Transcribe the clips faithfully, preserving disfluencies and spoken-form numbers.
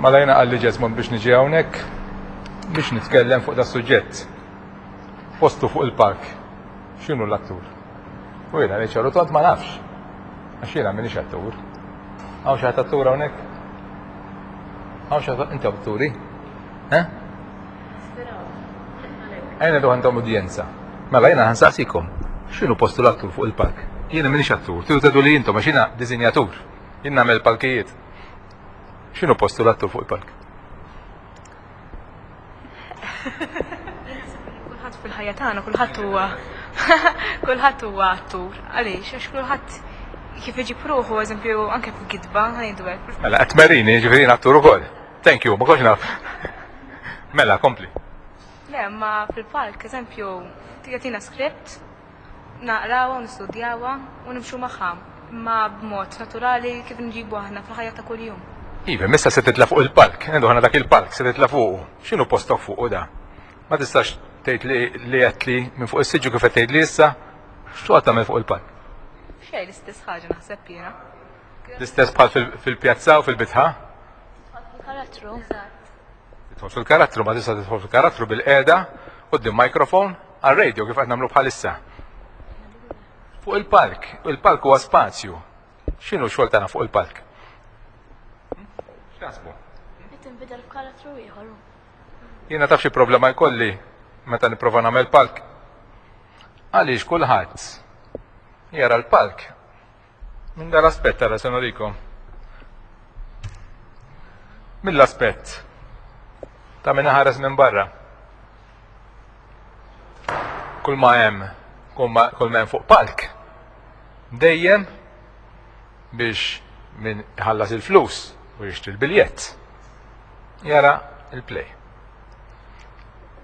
Mela jiena qalli Jesmond biex niġi hawnhekk biex nitkellem fuq das-suġġett. Postu fuq il-palk. X'inhu l-attur? U jiena ngħid ċar u tond ma nafx. Għax jiena m'iniex attur. Hawn xi ħadd attur hawnhekk? Hawn xi ħadd inti atturi? Eh? Ejja ngħidu għandhom udjenza. Mela jiena ħa nsaqsikom. X'inhu postu l-attur fuq il-palk? Jiena m'iniex attur, tridu tgħidu li intom għax jiena disinjatur. Jien nagħmel palkijiet. X'inhu postu l-attur fuq il-palk? Kulħadd fil-ħajja tagħna, kulħadd huwa kulħadd huwa attur. Għaliex? Għax kulħadd kif iġib ruħu, eżempju, anke f'gidba, ħa ngħidu hekk. Mela qed tmerini, ġifieri jien attur ukoll. Thank you, ma kontx naf. Mela, kompli. Le, ma fil-palk, eżempju, jagħtina script, naqrawha u nistudjawha u nimxu magħha, imma b'mod naturali kif nġibu aħna fil-ħajja ta' kuljum. Iva, missa se titla' fuq il-palk, ngħidu aħna dak il-palk se titla' fuqu. X'inhu postok fuqu da? Ma tistax tgħid li li għedt li minn fuq is-siġġu kif qed tgħid li issa, x'toqgħod tagħmel fuq il-palk? Xejn, l-istess ħaġa naħseb jiena. L-istess bħal fil-pjazza u fil-bitħa? Karattru. Tidħol fil-karattru, ma tista' tidħol fil-karattru bil-qiegħda quddiem microphone għal-radio kif qed nagħmlu bħalissa. Fuq il-palk, il-palk huwa spazju. X'inhu x-xogħol tagħna fuq il-palk? X'taħsbu? Qed tinbidel f'karattru ieħor. Jiena taf xi problema jkolli meta nipprova nagħmel palk. Għaliex kulħadd jara l-palk minn dal-aspett ara se nurikom. Mill-aspett ta' min ħares minn barra. Kull ma hemm kull ma kull ma hemm fuq palk dejjem biex min iħallas il-flus u jixtri l-biljett jara il-play.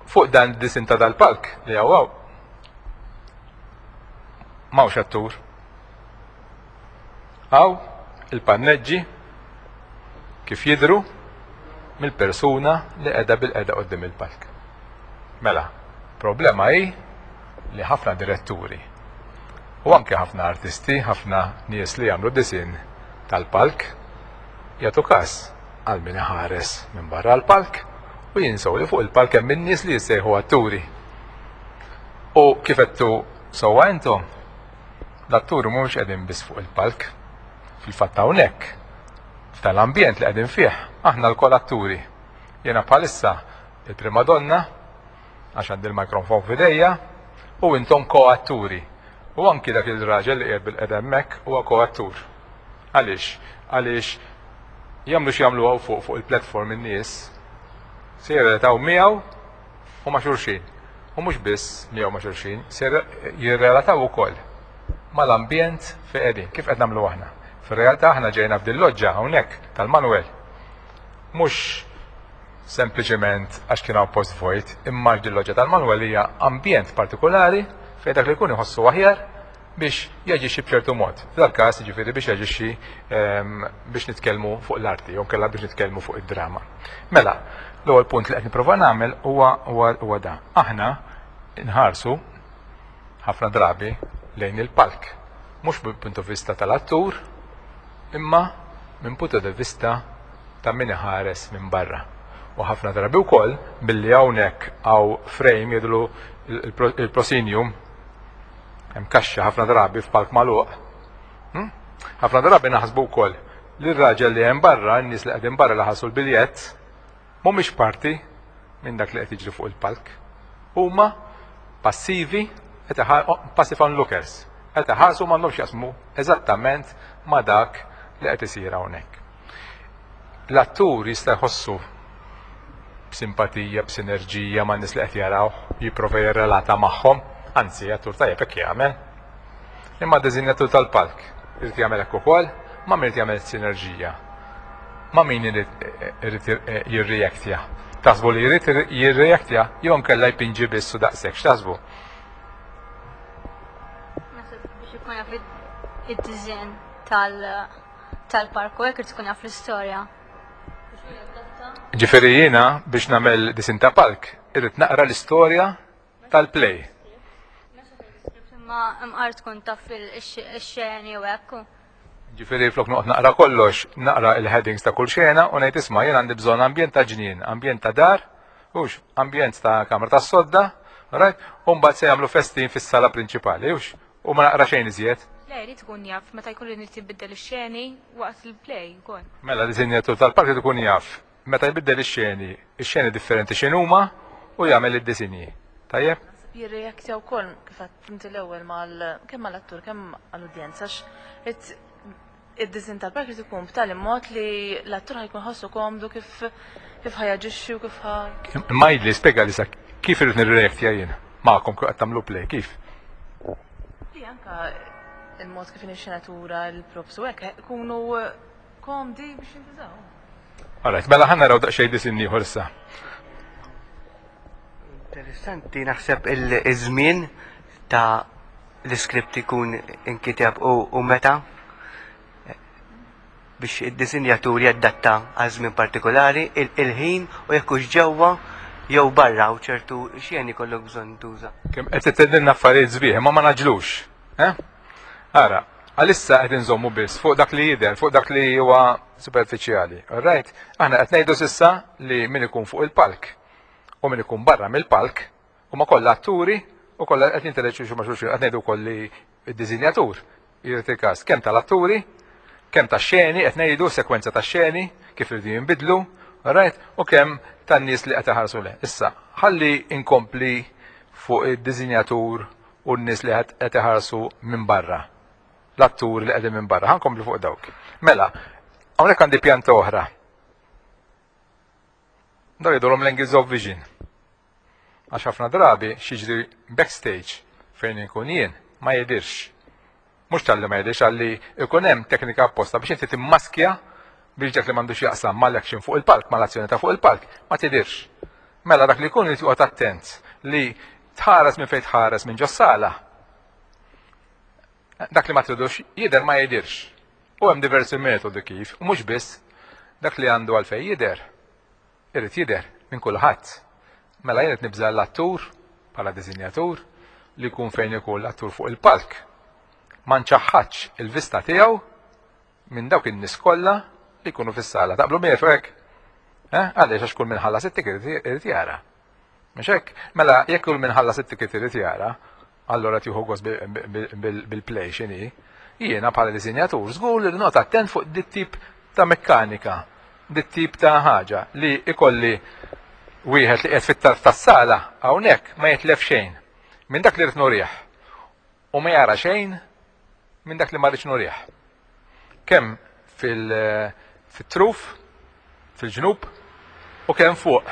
Fuq dan disin ta' dal-palk li hawn m'hawnx attur. Hawn il-panneġġi kif jidru mill-persuna li qiegħda bil-qiegħda quddiem il-palk. Mela, problema hi li ħafna diretturi u anke ħafna artisti, ħafna nies li jagħmlu disin tal-palk jagħtu każ għal min iħares minn barra l-palk u jinsew li fuq il-palk hemm in-nies li jissejħu atturi. U kif għedtu sewwa intom, l-atturi mhumiex qegħdin biss fuq il-palk. Fil-fatt hawnhekk f'tal-ambjent li qegħdin fih, aħna lkoll atturi. Jiena bħalissa il-prima donna għax għandi l-mikrofon f'idejja u intom koatturi. U anki dak il-raġel li qiegħed bil-qiegħda hemmhekk huwa koattur. Għaliex? Għaliex jagħmlu x'jagħmlu hawn fuq fuq il-platform in-nies se jirrelataw miegħu u ma' xulxin. U mhux biss miegħu ma' xulxin, se jirrelataw ukoll mal-ambjent fejn qegħdin, kif qed nagħmlu aħna. Fir-realtà aħna ġejna f'din loġġa hawnhekk tal-Manuel. Mhux sempliċement għax kien hawn post vojt, imma għax din loġġa tal-Manuel hija ambjent partikolari fejn dak li jkun iħossu aħjar biex jaġixxi b'ċertu mod. F'dal każ jiġifieri biex jaġixxi ehm, biex nitkellmu fuq l-arti, jew kellha biex nitkellmu fuq id-drama. Mela, l-ewwel punt li qed nipprova nagħmel huwa huwa da. Aħna nħarsu ħafna drabi lejn il-palk, mhux minn punto vista tal-attur, imma minn punto di vista ta' min iħares minn barra. U ħafna drabi wkoll billi hawnhekk hawn frame jidlu il-proscenium hemm kaxxa ħafna drabi f'palk magħluq. Hmm? Ħafna drabi naħsbu wkoll li r-raġel li hemm barra, n-nies li qegħdin barra li ħallsu l-biljett, mhumiex parti minn dak li qed jiġri fuq il-palk. Huma passivi, passive onlookers, qed iħarsu m'għandhomx jaqsmu eżattament ma' dak li qed isir hawnhekk. L-attur jista' jħossu b'simpatija, b'sinerġija ma' nies li qed jaraw, jipprova jirrelata magħhom, anzi, attur tajjeb hekk jagħmel. Imma disinjatur tal-palk irid jagħmel hekk ukoll, ma' min irid jagħmel sinerġija. Ma' min irid jirreaktja. Taħsbu li jrid jirreaktja jew nkella jpinġi biss u daqshekk, x'taħsbu? Naħseb biex ikun jaf id-design tal-park u hekk irid ikun jaf l-istorja. Ġifieri jiena biex nagħmel disin ta' palk, irrid naqra l-istorja tal-play. Imma imqar tkun taf ix-xeni u hekk. Ġifieri flok noqgħod naqra kollox, naqra il-headings ta' kull xena u ngħid, isma', jien għandi bżonn ambjent ta' ġnien, ambjent ta' dar, hux ambjent ta' kamra ta' sodda, right? U mbagħad se jagħmlu festin fis-sala prinċipali, hux? U ma naqra xejn iżjed. Le, jrid ikun jaf meta jkun irid jibiddel ix-xeni waqt il-play ukoll. Mela disinjatur tal-palk irid ikun jaf meta jbiddel ix-xeni, ix-xeni differenti x'inhuma u jagħmel id-disinji. Tajjeb? Jirreaktja wkoll, kif għedt inti l-ewwel, mal kemm mal-attur kemm għall-udjenza, għax id-disinn tal-palk irid ikun b'tali mod li l-attur ħa jkun ħossu komdu kif kif ħa jaġixxi u kif ħa Imma jidli spjega li sa kif irid nirreaktja jien magħkom kif qed tagħmlu play, kif? Li anka il-mod kif ix-xenatura, il-props u hekk ikunu komdi biex jintużaw. Alright, mela ħa naraw daqsxejn disinn ieħor issa. Interessanti naħseb il-żmien ta' l-iskript ikun inkiteb u, u meta biex id-disinjatur jaddatta għal żmien partikolari, il-ħin u jekk hux ġewwa jew barra u ċertu xeni kollok bżonn tuża. Kemm qed tgħidilna affarijiet sbieħ, ma ma naġlux. Eh? Ara, għalissa qed inżommu biss fuq dak li jidher, fuq dak li huwa superfiċjali. Alright? Aħna qed ngħidu s'issa li min ikun fuq il-palk u min ikun barra mill-palk huma kollha atturi u kollha qed jinteraġixxu ma' xulxin. Qed ngħidu wkoll li d-disinjatur jrid il-każ kemm tal-atturi, kemm tax-xeni, qed ngħidu sekwenza tax-xeni kif iridu jinbidlu, alright? U kemm tan-nies li qed iħarsu le. Issa, ħalli inkompli fuq id-disinjatur u n-nies li qed iħarsu minn barra. L-atturi li qegħdin minn barra. Ħa nkompli fuq dawk. Mela, hawnhekk għandi pjanta oħra. Daw jgħidulhom l-angles of vision. Għax ħafna drabi x'jiġri backstage fejn inkun jien ma jidirx. Mhux talli ma jidirx, għalli ikun hemm teknika apposta biex inti timmaskja biex dak li m'għandux jaqsam mal-action fuq il-palk, mal-azzjoni ta' fuq il-palk, ma tidirx. Mela dak li jkun irid joqgħod attent li tħares minn fejn tħares minn ġos-sala. Dak li ma tridux jidher ma jidirx. U hemm diversi metodi kif, u mhux biss dak li għandu għalfejn jidher. Irid jidher minn kulħadd. Mela jien qed nibża l-attur bħala disinjatur li jkun fejn ikun l-attur fuq il-palk. Ma nċaħħadx il-vista tiegħu minn dawk in-nies kollha li jkunu fis-sala. Taqblu miegħi fuq hekk? Eh? Għaliex? Għax kull min ħallas it-ticket irid jara. Mhux hekk? Mela jekk kull min ħallas it-ticket irid jara, allora tieħu gost bil-play x'inhi. Jiena bħala disinjatur żgur li noqgħod attent fuq dit tip ta' mekkanika, dit tip ta' ħaġa li ikolli wieħed li qiegħed fit-tarf tas-sala hawnhekk ma jitlef xejn minn dak li rrid nurih u ma jara xejn minn dak li ma rridx nurih. Kemm fil-truf, fil-ġnub u kemm fuq.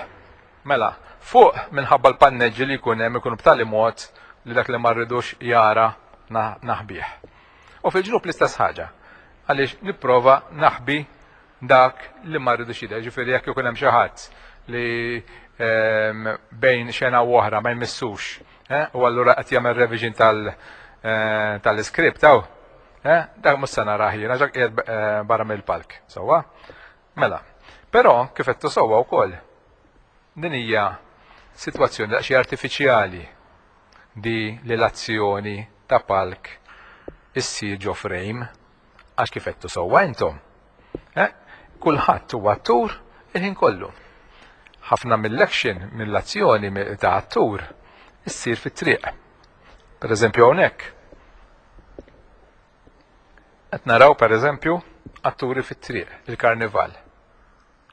Mela, fuq minħabba l-panneġġi li jkun hemm ikunu b'tali mod li dak li ma rridux jara naħbih. U fil-ġnub l-istess ħaġa. Għaliex nipprova naħbi dak li ma rridux jidher. Ġifieri jekk ikun hemm xi ħadd li ehm, bejn xena u oħra ma jmissux, eh, u allura qed jagħmel revision tal eh, tal-iskript hawn, eh, dak mhux se narah jiena ġak qiegħed barra mill-palk. Sewwa? Mela, però kif qed sewwa wkoll din hija sitwazzjoni daqsxejn artifiċjali di li l-azzjoni ta' palk issir ġo frame, għax kif qed sewwa intom. Eh? Kulħadd huwa attur il-ħin kollu. Ħafna mill-action, mill-azzjoni ta' attur issir fit-triq. Per eżempju hawnhekk. Qed naraw, per eżempju, atturi fit-triq, il-karnival.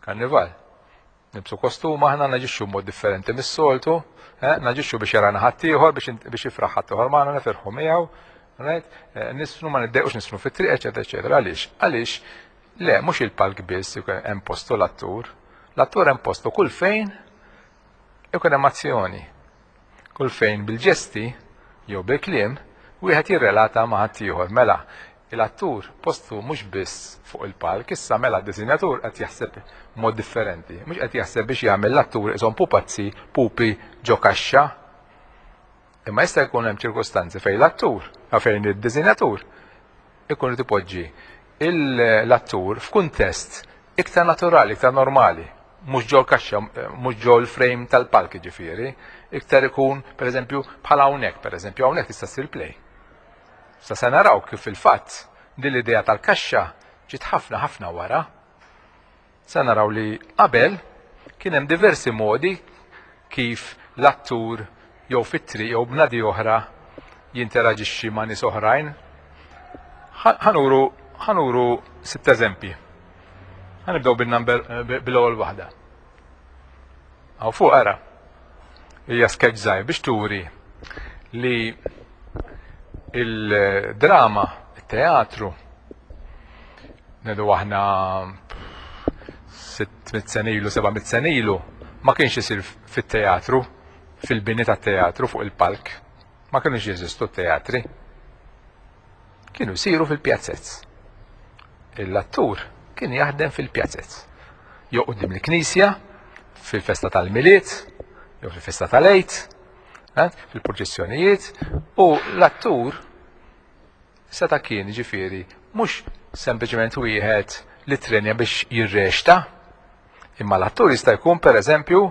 Karnival. Nilbsu kostum aħna, naġixxu mod differenti mis-soltu, eh? Naġixxu biex jarana ħaddieħor, biex jifraħ ħaddieħor magħna, nifirħu miegħu, right? Eh, nisfnu, ma niddejqux nisfnu fit-triq, eċetera, eċetera. Għaliex? Għaliex le, mhux il-palk biss hemm postu l-attur. L-attur hemm postu kull fejn ikun hemm azzjoni. Kull fejn bil-ġesti jew bil-kliem wieħed jirrelata ma' ħaddieħor. Mela, l-attur postu mhux biss fuq il-palk, issa mela d-disinjatur qed jaħseb mod differenti. Mhux qed jaħseb biex jagħmel l-attur isom pupazzi, pupi ġo kaxxa. Imma jista' jkun hemm ċirkustanzi fejn l-attur, fejn id-disinjatur ikun irid ipoġġi l-attur f'kuntest iktar naturali, iktar normali, mhux ġol kaxxa, mhux ġol frame tal-palk ġifieri, iktar ikun, pereżempju, bħala hawnhekk, pereżempju, hawnhekk tista' ssir play. Sa se naraw kif fil-fatt Din l-idea tal-kaxxa ġiet ħafna ħafna wara. Sa naraw li qabel kien hemm diversi modi kif l-attur jew fit-triq jew bnadi oħra jinteraġixxi ma' nies oħrajn. Ħa nuru ħa nuru sitt eżempji. Ħa nibdew bin-number bil-ewwel waħda. Hawn fuq ara. Hija sketch żgħir biex turi li il-drama, il-teatru, ngħidu aħna sitt mitt sena ilu, seba' mitt sena ilu, ma kienx isir fit-teatru, fil-bini tat-teatru fuq il-palk. Ma kienux jeżistu teatri. Kienu jsiru fil-pjazzezz. L-attur kien jaħdem fil-pjazzezz. Jew quddiem il-knisja, fil-festa tal-Milied, jew fil-festa tal-Għid, eh, fil-purċissjonijiet, u l-attur seta' kien ġifieri mhux sempliċement wieħed li trenja biex jirreċta, imma l-attur jista' jkun pereżempju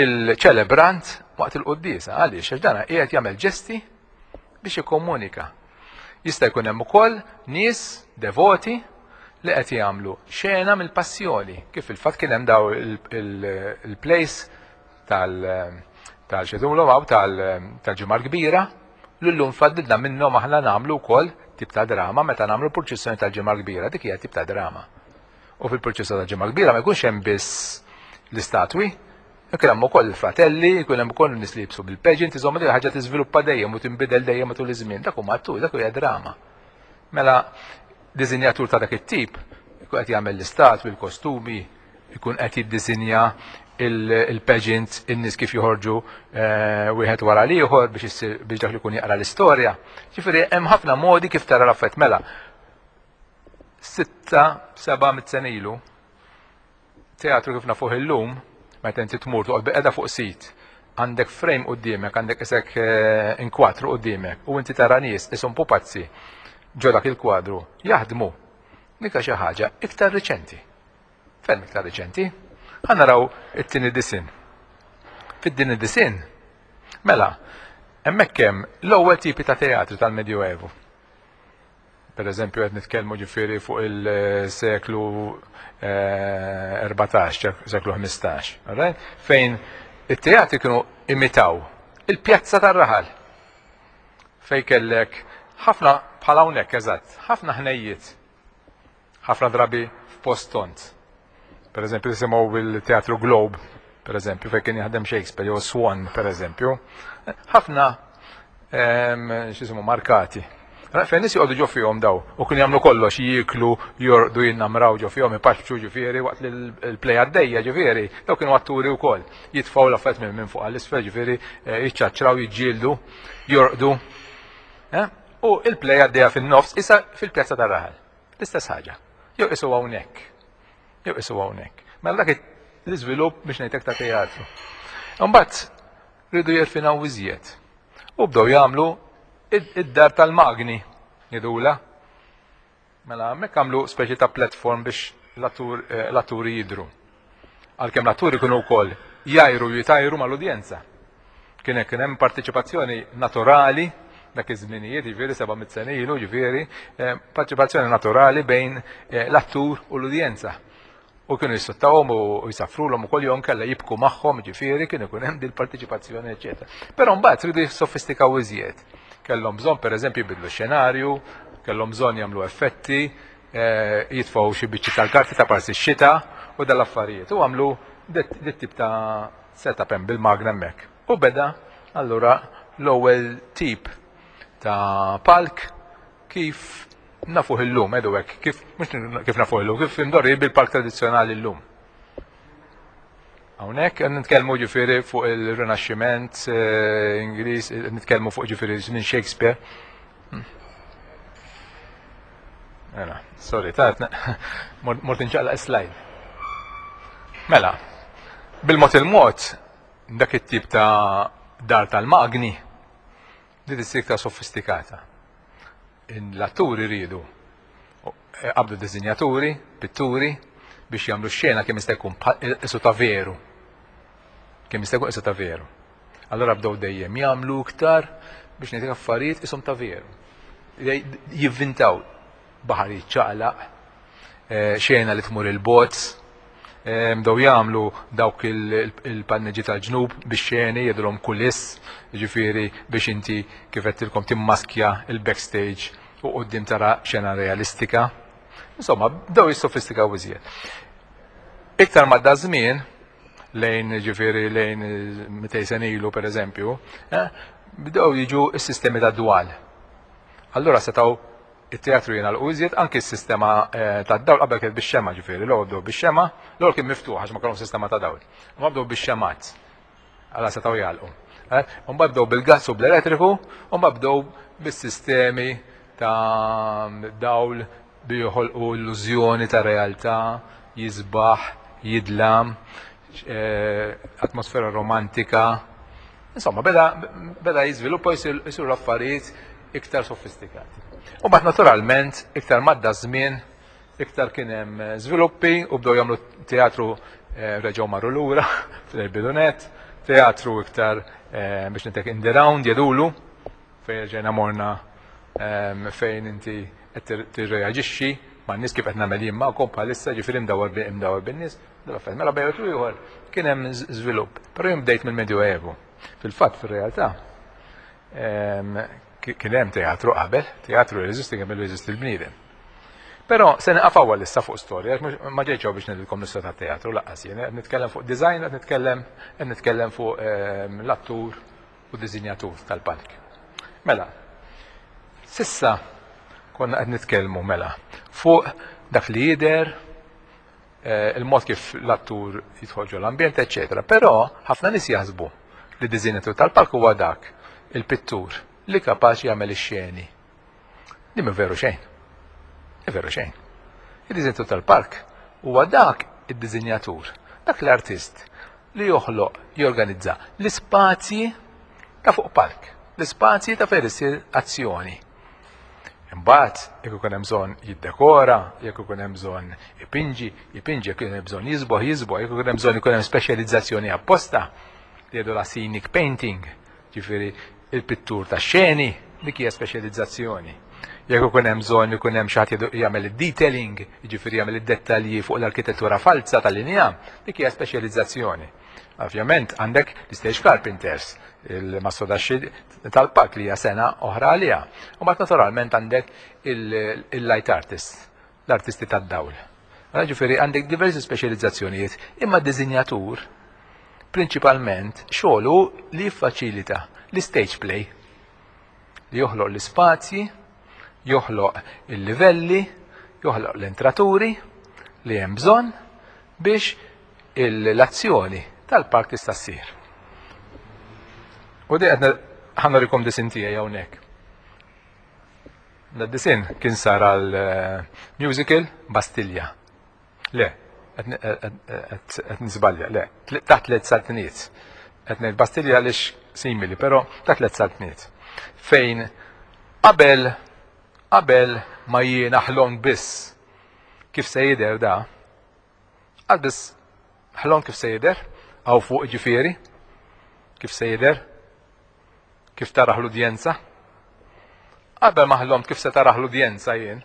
il-ċelebrant waqt il-quddiesa. Għaliex? Għax dana qiegħed jagħmel ġesti biex jikkomunika. Jista' jkun hemm ukoll nies devoti li qed jagħmlu xena mill-passjoni, kif fil-fatt kien hemm daw il-plays tal-xedulhom hawn tal-Ġimgħa l-Kbira, l-lum faddilna minnhom aħna nagħmlu wkoll tip ta' drama meta nagħmlu purċissjoni tal-Ġimgħa l-Kbira, dik hija tip ta' drama. U fil-purċissjoni tal-Ġimgħa l-Kbira ma jkunx hemm biss l-istatwi, jkun hemm ukoll il-fratelli, jkun hemm ukoll nies li jibsu bil-pageant, iżomma dik ħaġa tiżviluppa dejjem u tinbidel dejjem matul iż-żmien. Dak huma attur, dak hija drama. Mela disinjatur ta' dak it-tip ikun qed jagħmel l-istatwi, il-kostumi, ikun qed jiddisinja il-pageant, in-nies kif joħorġu wieħed wara l-ieħor biex biex dak li jkun jaqra l-istorja. Ġifieri hemm ħafna modi kif tara l-affett. Mela sitta, seba' mitt sena ilu, teatru kif nafuh illum, meta inti tmur toqgħod bil-qiegħda fuq sit, għandek frame quddiemek, għandek isek inkwatru quddiemek, u inti tara nies ishom pupazzi ġo dak il-kwadru jaħdmu. Dik xi ħaġa iktar riċenti. Ferm iktar riċenti. Ħa naraw it-tieni disin. Fid-tieni disin, mela, hemmhekk hemm l-ewwel tipi ta' teatru tal-Medjuevu. Per eżempju, qed nitkellmu ġifieri fuq il-seklu erbatax, seklu ħmistax, right? Fejn it-teatri kienu imitaw il-pjazza tar-raħal. Fejn kellek ħafna bħal hawnhekk eżatt, ħafna ħnejjiet, ħafna drabi f'post tont. Per eżempju, nisimgħu il-Teatru Globe, per eżempju, fejn kien jaħdem Shakespeare, jew Swan, per eżempju. Ħafna x'jisimhu markati. Fejn nies joqogħdu ġo fihom daw, u kienu jagħmlu kollox, jieklu, jorqdu, jinnamraw ġo fihom, ipaċċu ġifieri waqt li l-play għaddejja ġifieri, daw kienu atturi wkoll. Jitfgħu l-affarijiet minn fuq għall-isfel ġifieri, jiċċaċċraw, jiġġieldu, jorqdu. U il-play għaddejja fin-nofs isa fil-pjazza tar-raħal. L-istess ħaġa. Jew isu hawnhekk. Jew isu hawnhekk. Mela dak l-iżvilupp biex ngħidlek ta' teatru. Imbagħad rridu jirfinaw iżjed. U bdew jagħmlu id-dar tal-magni jidula. Mela hemmhekk għamlu speċi ta' platform biex l-atturi jidru. Għalkemm l-atturi kienu wkoll jajru jitajru mal-udjenza. Kien hekk kien hemm partiċipazzjoni naturali dak iż-żminijiet, jiġifieri seba' mitt sena ilu, jiġifieri partiċipazzjoni naturali bejn l-attur u l-udjenza. U kienu jissuttawhom u jsaffrulhom ukoll jew inkella jibku magħhom, jiġifieri kien ikun hemm din il-partiċipazzjoni, eċċetera. Però mbagħad ridu jissofistikaw iżjed. Kellhom bżonn pereżempju jbidlu x-xenarju, kellhom bżonn jagħmlu effetti, jitfgħu xi biċċi tal-karti ta' parsi x-xita u dal-affarijiet. U għamlu dit tip ta' setup hemm bil-magna hemmhekk. U beda allura l-ewwel tip ta' palk kif nafuh illum, edu hekk, kif mhux kif nafuh illum, kif imdorri bil-palk tradizzjonali llum. Hawnhekk qed nitkellmu ġifieri fuq il-Rinaxximent Ingliż, nitkellmu fuq ġifieri minn Shakespeare. Mela, sorry, ta' mort inċaqlaq slide. Mela, bil-mod il-mod dak it-tip ta' dar tal-magni li issir iktar sofistikata. L-atturi rridu qabdu disinjaturi, pitturi biex jagħmlu xena kemm jista' jkun isu ta' veru. Kemm jista' jkun isu ta' veru. Allura bdew dejjem jagħmlu iktar biex ngħidlek affarijiet ishom ta' veru. Jivvintaw. Baħar jiċċaqlaq, eh, xena li tmur il-bots, eh, bdew jagħmlu dawk il-panneġi tal-ġnub biex xeni jgħidulhom kuliss, jiġifieri biex inti kif għedtilkom timmaskja il-backstage u quddiem tara xena realistika. Insomma, bdew jissofistikaw iżjed. Iktar ma da żmien, lejn ġifieri lejn mitejn sena ilu per eżempju, eh, bdew jiġu s-sistemi ta' dwal. Allura setgħu it-teatru jingħalqu iżjed, anki s-sistema eh, ta' dawl qabel kienet bix-xema ġifieri, l-ewwel bdew bix-xema, l-ewwel kien miftuħ għax ma kellhom sistema ta' dawl. Ma bdew bix-xemat. Alla setgħu jagħlqu. Eh, mbagħad bdew bil-gass u bl-elettriku, u mbagħad bdew bis-sistemi ta' dawl bi joħolqu illużjoni ta' realtà, jisbaħ, jidlam, eh, atmosfera romantika. Insomma, beda, beda jiżviluppa jisiru l-affarijiet iktar sofistikati. U mbagħad naturalment, iktar madda żmien, iktar kien hemm żviluppi u bdew jagħmlu teatru eh, reġgħu marru lura fil-bidunet, teatru iktar eh, biex nitek in the round jedulu fejn ġejna morna fejn inti qed tirreaġixxi man-nies kif qed nagħmel jien magħkom bħalissa, ġifieri imdawwar imdawwar bin-nies. Mela bejn u ieħor kien hemm żvilupp. Però jien bdejt mill-Medjuevu. Fil-fatt fir-realtà kien hemm teatru qabel, teatru jeżisti kemm jeżisti l-bniedem. Però se nieqaf issa fuq storja, ma ġejtx biex ngħidilkom l-istorja tat-teatru lanqas jien, qed nitkellem fuq design, qed nitkellem qed nitkellem fuq l-attur u disinjatur tal-palk. Mela, sissa konna qed nitkellmu mela fuq dak li jidher, il-mod kif l-attur jidħol ġol ambjent, eċċetera. Però ħafna nies jaħsbu li disinjatur tal-palk huwa dak il-pittur li kapaċi jagħmel ix-xeni. Li mhu veru xejn. Mhu veru xejn. Il-disinjatur tal-palk huwa dak id-disinjatur, dak l-artist li joħloq, jorganizza l-ispazji ta' fuq palk, l-ispazji ta' fejn issir azzjoni. Imbagħad jekk ikun hemm bżonn jiddekora, jekk ikun hemm bżonn ipinġi, ipinġi, jekk ikun hemm bżonn jiżboħ, jiżboħ, jekk ikun hemm bżonn ikun hemm speċjalizzazzjoni apposta li jgħidu la scenic painting, ġifieri il-pittur ta' xeni, dik hija speċjalizzazzjoni. Jekk ikun hemm bżonn ikun hemm xi ħadd jagħmel id-detailing, jiġifieri jagħmel id-dettalji fuq l-arkitettura falsa tal-injam, dik hija speċjalizzazzjoni. Ovvjament għandek l-stage carpenters, il-mastodaxxi tal-palk li hija sena oħra għaliha. U mbagħad naturalment għandek il-light artist, l-artisti tad-dawl. Ġifieri għandek diversi speċjalizzazzjonijiet, imma d-disinjatur prinċipalment xogħlu li jiffaċilita l-stage play, li joħloq l-ispazji, joħloq il-livelli, joħloq l-entraturi li hemm bżonn biex l-azzjoni tal-palk tista' ssir. U di qed ħa nurikom disin tiegħi hawnhekk. Da disin kien sar għal musical Bastilja. Le, qed nisbalja, le, taħt tliet saltniet. Qed ngħid Bastilja għaliex simili, però taħt tliet saltniet. Fejn qabel qabel ma jiena ħlom biss kif se jidher da, għal biss ħlom kif se jidher, għaw fuq ġifieri, kif se jidher, kif taraħ l-udjenza. Qabel ma ħlomt kif se taraħ l-udjenza jien,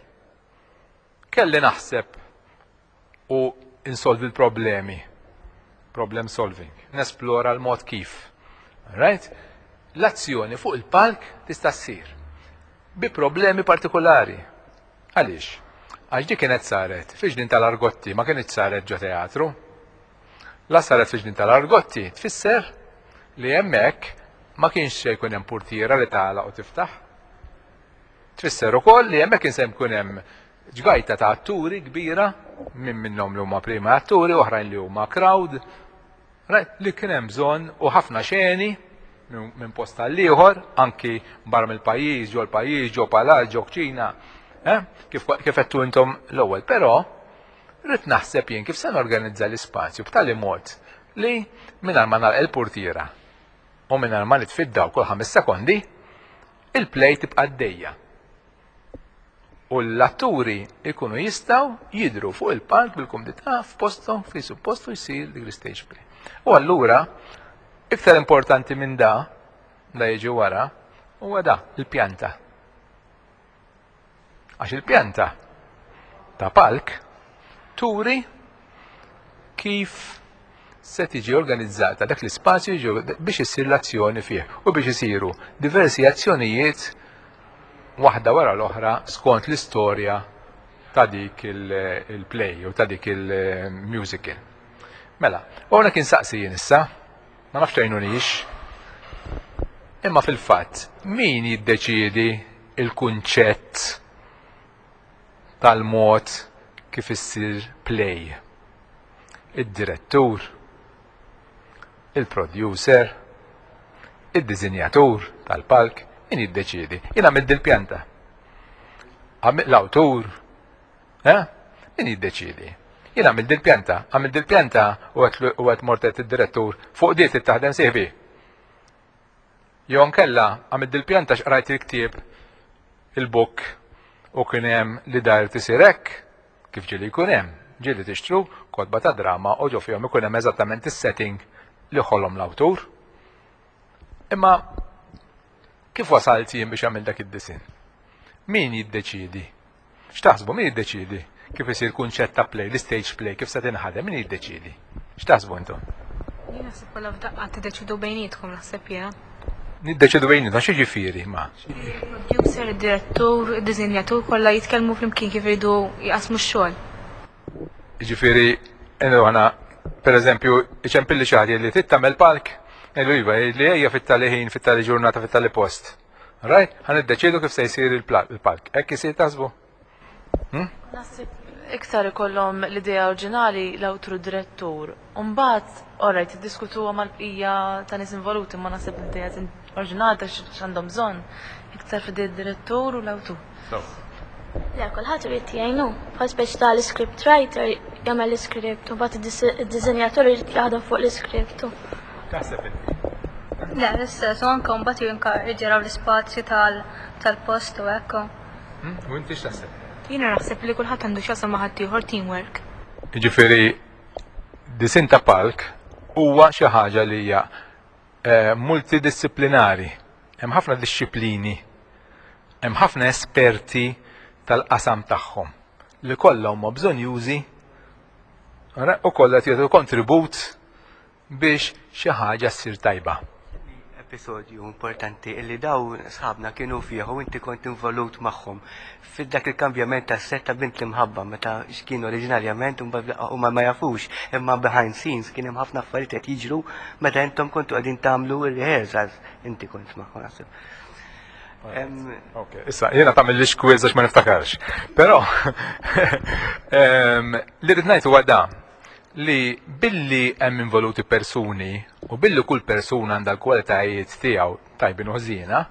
kelli naħseb u insolvi l-problemi. Problem solving. Nesplora l-mod kif. Right? L-azzjoni fuq il-palk tista' ssir bi problemi partikolari. Għaliex? Għax di kienet saret fi ġnien tal-Argotti, ma kienet saret ġo teatru. La saret fi ġnien tal-Argotti tfisser li hemmhekk ma kienx se jkun hemm portiera li tagħlaq u tiftaħ. Tfisser ukoll li hemmhekk kien se jkun hemm ġgajta ta' atturi kbira, minn minnhom li huma prima atturi, oħrajn li huma crowd, right? Li kien hemm bżonn u ħafna xeni minn post għal ieħor, anki barra mill-pajjiż, ġo l-pajjiż, ġo palazz, ġo kċina, eh? Kif kif għedtu intom l-ewwel. Però rrid naħseb jien kif se norganizza l-ispazju b'tali mod li mingħajr ma nagħlaq il-portiera u mingħajr ma nitfiddaw kull ħames sekondi, il-play tibqa' għaddejja. U l-atturi ikunu jistgħu jidru fuq il-palk bil-kumdità f'posthom fi suppostu jsir dik l-stage play. U allura, iktar importanti minn da, da jiġi wara, huwa da, il-pjanta. Għax il-pjanta ta' palk turi kif se tiġi organizzata dak l-ispazju biex issir l-azzjoni fih u biex isiru diversi azzjonijiet waħda wara l-oħra skont l-istorja ta' dik il-play u ta' dik il-musical. Mela, u għana kien saqsi jien issa, ma nafx tgħinunix, imma fil-fatt, min jiddeċiedi il-kunċett tal-mod kif issir play? Id-direttur, il-producer, id-dizinjatur tal-palk, min jiddeċiedi? Jien għamilt dil-pjanta. L-awtur, eh? Min jiddeċiedi? Jien għamilt dil-pjanta, għamilt dil-pjanta u għedt mortet id-direttur fuq diet taħdem sieħbi. Jew nkella għamilt dil-pjanta x'qrajt il-ktieb il-book u kien hemm li dar tisir hekk, kif ġieli jkun hemm, ġieli tixtru kotba ta' drama u ġo fihom ikun hemm eżattament is-setting li ħolom l-awtur. Imma kif wasalt jien biex għamil dak id-disin? Min jiddeċiedi? X'taħsbu min jiddeċiedi? Kif isir kunċett ta' play, l-stage play, kif se tinħadem, min jiddeċiedi? X'taħsbu intom? Jien naħseb kollha f'daqqa tiddeċidu bejnietkom, naħseb jiena. Niddeċidu bejnietna, x'jiġifieri ma? Il-producer, id-direttur, id-dizinjatur kollha jitkellmu flimkien kif iridu jqasmu x-xogħol. Jiġifieri, għana, per eżempju, iċempilli xi ħadd li trid tagħmel palk, ngħidu iva, li ejja fit-tali ħin, fit-tali ġurnata, fit-tali post. Right? Ħa niddeċiedu kif se jsir il-palk. Hekk isir taħsbu? Naħseb iktar ikollhom l-idea oriġinali l-awtur direttur. Umbagħad, alright, iddiskutuha mal-bqija ta' nies involuti, ma naħseb l-idea oriġinali ta' x'għandhom bżonn iktar f'idea direttur u l-awtur. Le, kulħadd irid jgħinu. Bħal speċi tal-script writer jagħmel l-script u mbagħad id-disinjatur irid jaħdem fuq l-script. Taħseb inti? Le, l-istess, u anke mbagħad jinka jġeraw l-ispazju tal-post u hekk. U inti x'taħseb? Jiena naħseb li kulħadd għandu x'jaqsam ma' ħaddieħor, teamwork. Jiġifieri disin ta' palk huwa xi ħaġa li hija eh, multidisciplinari. Hemm ħafna disċiplini, hemm ħafna esperti tal-qasam tagħhom li kollha huma bżonjużi u kollha jagħtu kontribut biex xi ħaġa ssir tajba. Episodju importanti illi daw sħabna kienu fih u inti kont involut magħhom fid-dak il-kambjament ta' set ta' Bint l-Imħabba, meta x'kienu oriġinarjament u ma ma jafux, imma behind scenes kien hemm ħafna affarijiet qed jiġru meta intom kontu qegħdin tagħmlu ir-rehearsals, inti kont magħhom, naħseb. Ok, issa, jiena tagħmillix quiz għax ma niftakarx. Però, li rrid ngħid huwa da li billi hemm involuti persuni u billi kull persuna għandha l-kwalitajiet tiegħu tajbin u ħżiena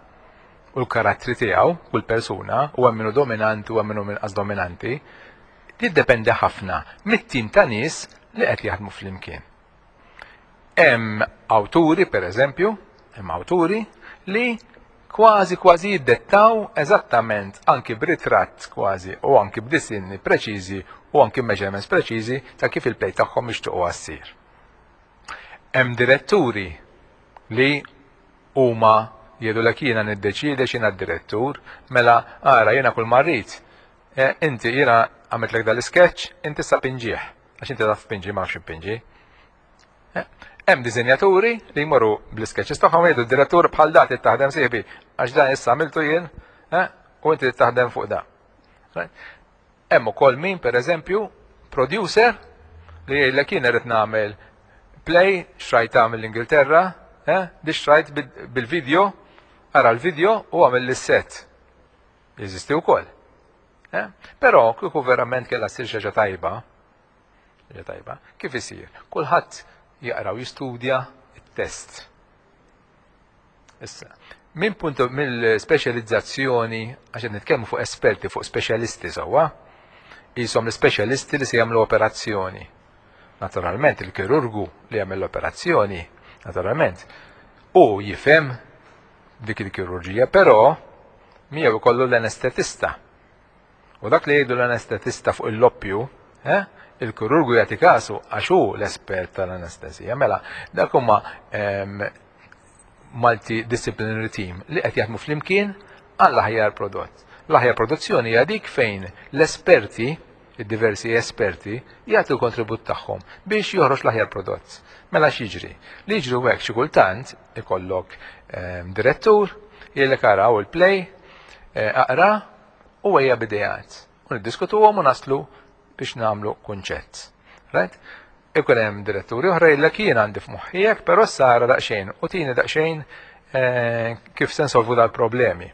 u l-karattri tiegħu, kull persuna, u hemm minnu dominanti u hemm minnu inqas dominanti, jiddependi ħafna mit-tim ta' nies li qed jaħdmu flimkien. Hemm awturi, per eżempju, hemm awturi li kważi kważi jiddettaw eżattament anki b'ritratt kważi u anki b'disinni preċiżi u anki measurements preċiżi ta' kif il-play tagħhom jixtiequ ssir. Hemm diretturi li huma jgħidu jiena niddeċiedi, x'jiena d-direttur, mela ara, jiena kull ma rrid. Eh, inti jiena għamiltlek dal-sketch, inti sa pinġieħ, għax inti taf pinġi, ma nafx pinġi. Eh, hemm dizinjaturi li jmorru bl-sketches tagħhom, jgħidu d-direttur bħal dat taħdem sieħbi, għax dan issa għamiltu jien, eh, u inti taħdem fuq da. Hemm ukoll min, pereżempju, producer li jgħidlek jien irid nagħmel play xrajt tagħmel l-Ingilterra, eh, di xrajt bil-video, ara l-video u għamel l-set. Jeżisti wkoll. Eh? Però kieku verament kellha ssir xi ħaġa tajba, ħaġa tajba, kif isir? Kulħadd jaqra u jistudja it-test. Issa, minn punto mill-speċjalizzazzjoni, għax qed nitkellmu fuq esperti, fuq speċjalisti sewwa, jisom l-speċjalisti li se jagħmlu operazzjoni. Naturalment, il-kirurgu li jagħmel l-operazzjoni, naturalment, u jifhem dik il-kirurġija, però miegħu ikollu l-anestetista. U dak li jgħidu l-anestetista fuq il-loppju, eh, il-kirurgu jagħti kasu għax hu l-espert tal-anestesija. Mela, dak huma multidisciplinary team li qed jaħdmu flimkien għall aħjar prodott. L-aħjar produzzjoni hija dik fejn l-esperti Id-diversi esperti jagħtu l-kontribut tagħhom biex joħroġ l-aħjar prodott. Mela x'jiġri? Li jiġri hekk, xi kultant ikollok ehm, direttur jgħidlek, "Araw il-play, eh, aqra u ejja b'ideat." U niddiskutuhom u naslu biex nagħmlu kunċett. Right? Ikun hemm diretturi oħra jgħidlek, "Jien għandi f'moħħi hekk, però sara daqsxejn u tini daqsxejn eh, kif se nsolvu dal-problemi."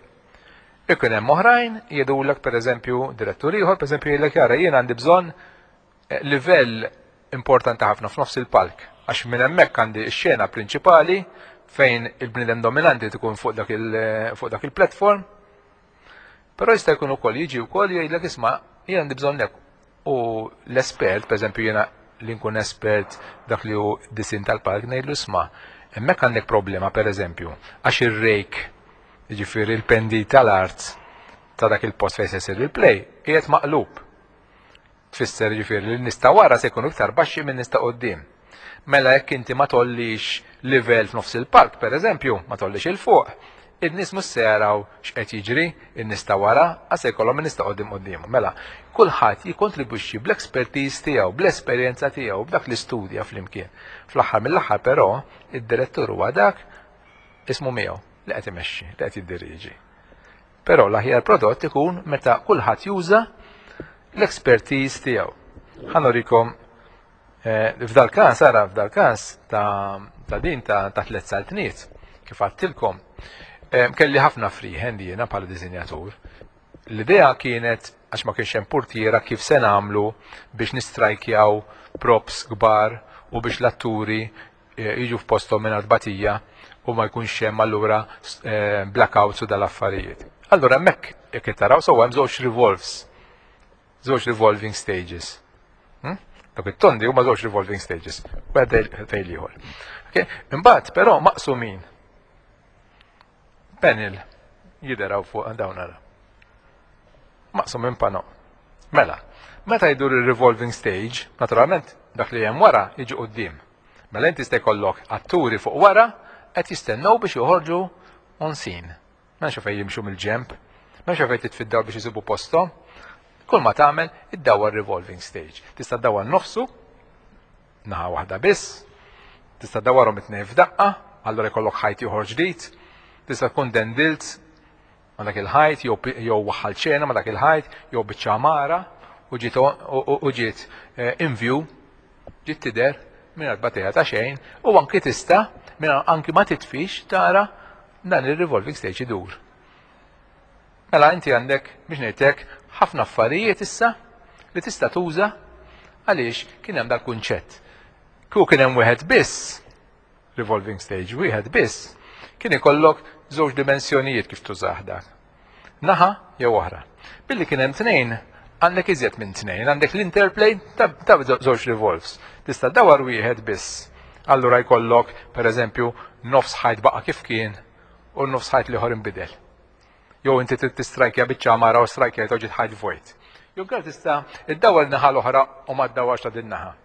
Ikun hemm oħrajn jgħidulek, pereżempju, direttur ieħor, pereżempju, jgħidlek, "Jara, jien għandi bżonn eh, livell importanti ħafna f'nofs il-palk għax minn hemmhekk għandi x-xena prinċipali fejn il-bniedem dominanti tkun fuq dak il- fuq dak il-platform." Però jista' jkun ukoll jiġi wkoll jgħidlek, "Isma', jien għandi bżonn hekk." U l-espert, pereżempju jiena li nkun espert dak li hu disinn tal-palk, ngħidlu, "Isma', hemmhekk għandek problema, pereżempju, għax ir-rake, jiġifieri il-pendi tal-art ta' dak il-post fejn se jsir il-play, qiegħed maqlub. Tfisser jiġifieri li n-nies ta' wara se jkunu iktar baxxi minn nies ta' quddiem. Mela jekk inti ma tollix livell f'nofs il-palk, pereżempju, ma tollix 'il fuq, in-nies mhux se jaraw x'qed jiġri, in-nies ta' wara, għax se jkollhom in-nies ta' quddiem quddiemhom." Mela, kulħadd jikkontribwixxi bl-expertise tiegħu, bl-esperjenza tiegħu, b'dak li studja flimkien. Fl-aħħar mill-aħħar però, id-direttur huwa dak ismu miegħu li qed imexxi, li qed jiddirieġi. Però l-aħjar prodott ikun meta kulħadd juża l-expertise tiegħu. Ħa nurikom eh, f'dal każ, ara, f'dal każ ta', ta din ta', ta' tliet saltniet, kif għedtilkom. Eh, kelli ħafna freehand jiena bħala disinjatur. L-idea kienet, għax ma kienx hemm portiera, kif se nagħmlu biex nistrajkjaw props kbar u biex l-atturi eh, jiġu f'posthom minn batija u ma jkunx hemm allura eh, blackouts u dal-affarijiet. Allura hemmhekk, jekk taraw sewwa, hemm żewġ revolves, żewġ revolving stages. Hmm? Dak it-tondi huma żewġ revolving stages, wieħed fejn ieħor. Okay? Imbagħad però maqsumin panel jidheraw fuq dawn, ara. Maqsum minn pano. Mela, meta jdur il-revolving stage, naturalment dak li hemm wara jiġi quddiem. Mela inti se jkollok atturi fuq wara qed jistennew biex joħorġu on scene. M'hemmx fejn jimxu mill-ġemp, m'hemmx fejn titfiddaw biex jisibu postom. Kull ma tagħmel, iddawwar revolving stage. Tista' ddawwar nofsu, naħa waħda biss, tista' ddawwarhom it-tnejn f'daqqa, allura jkollok ħajt ieħor ġdid, tista' tkun dendilt ma' dak il-ħajt, jew waħħal ċena ma' dak il-ħajt, jew biċċa għamara u ġiet u ġiet eh, in view, ġiet tidher minn batija ta' xejn, u anki tista' minn anki ma titfix tara dan il-revolving stage idur. Mela inti għandek, biex ngħidlek, ħafna affarijiet issa li tista' tuża għaliex kien hemm dal-kunċett. Kieku kien hemm wieħed biss, revolving stage wieħed biss, kien ikollok żewġ dimensjonijiet kif tużah dak. Naħa jew oħra. Billi kien hemm tnejn, għandek iżjed minn tnejn, għandek l-interplay ta' żewġ revolves. Tista' dawar wieħed biss. Allura jkollok, per eżempju, nofs ħajt baqa' kif kien u nofs ħajt l-ieħor inbidel. Jew inti trid tistrajkja biċċa għamara u strajkja ġiet ħajt vojt. Jew kif tista' iddawar naħa l-oħra u ma ddawwarx ta' din naħa.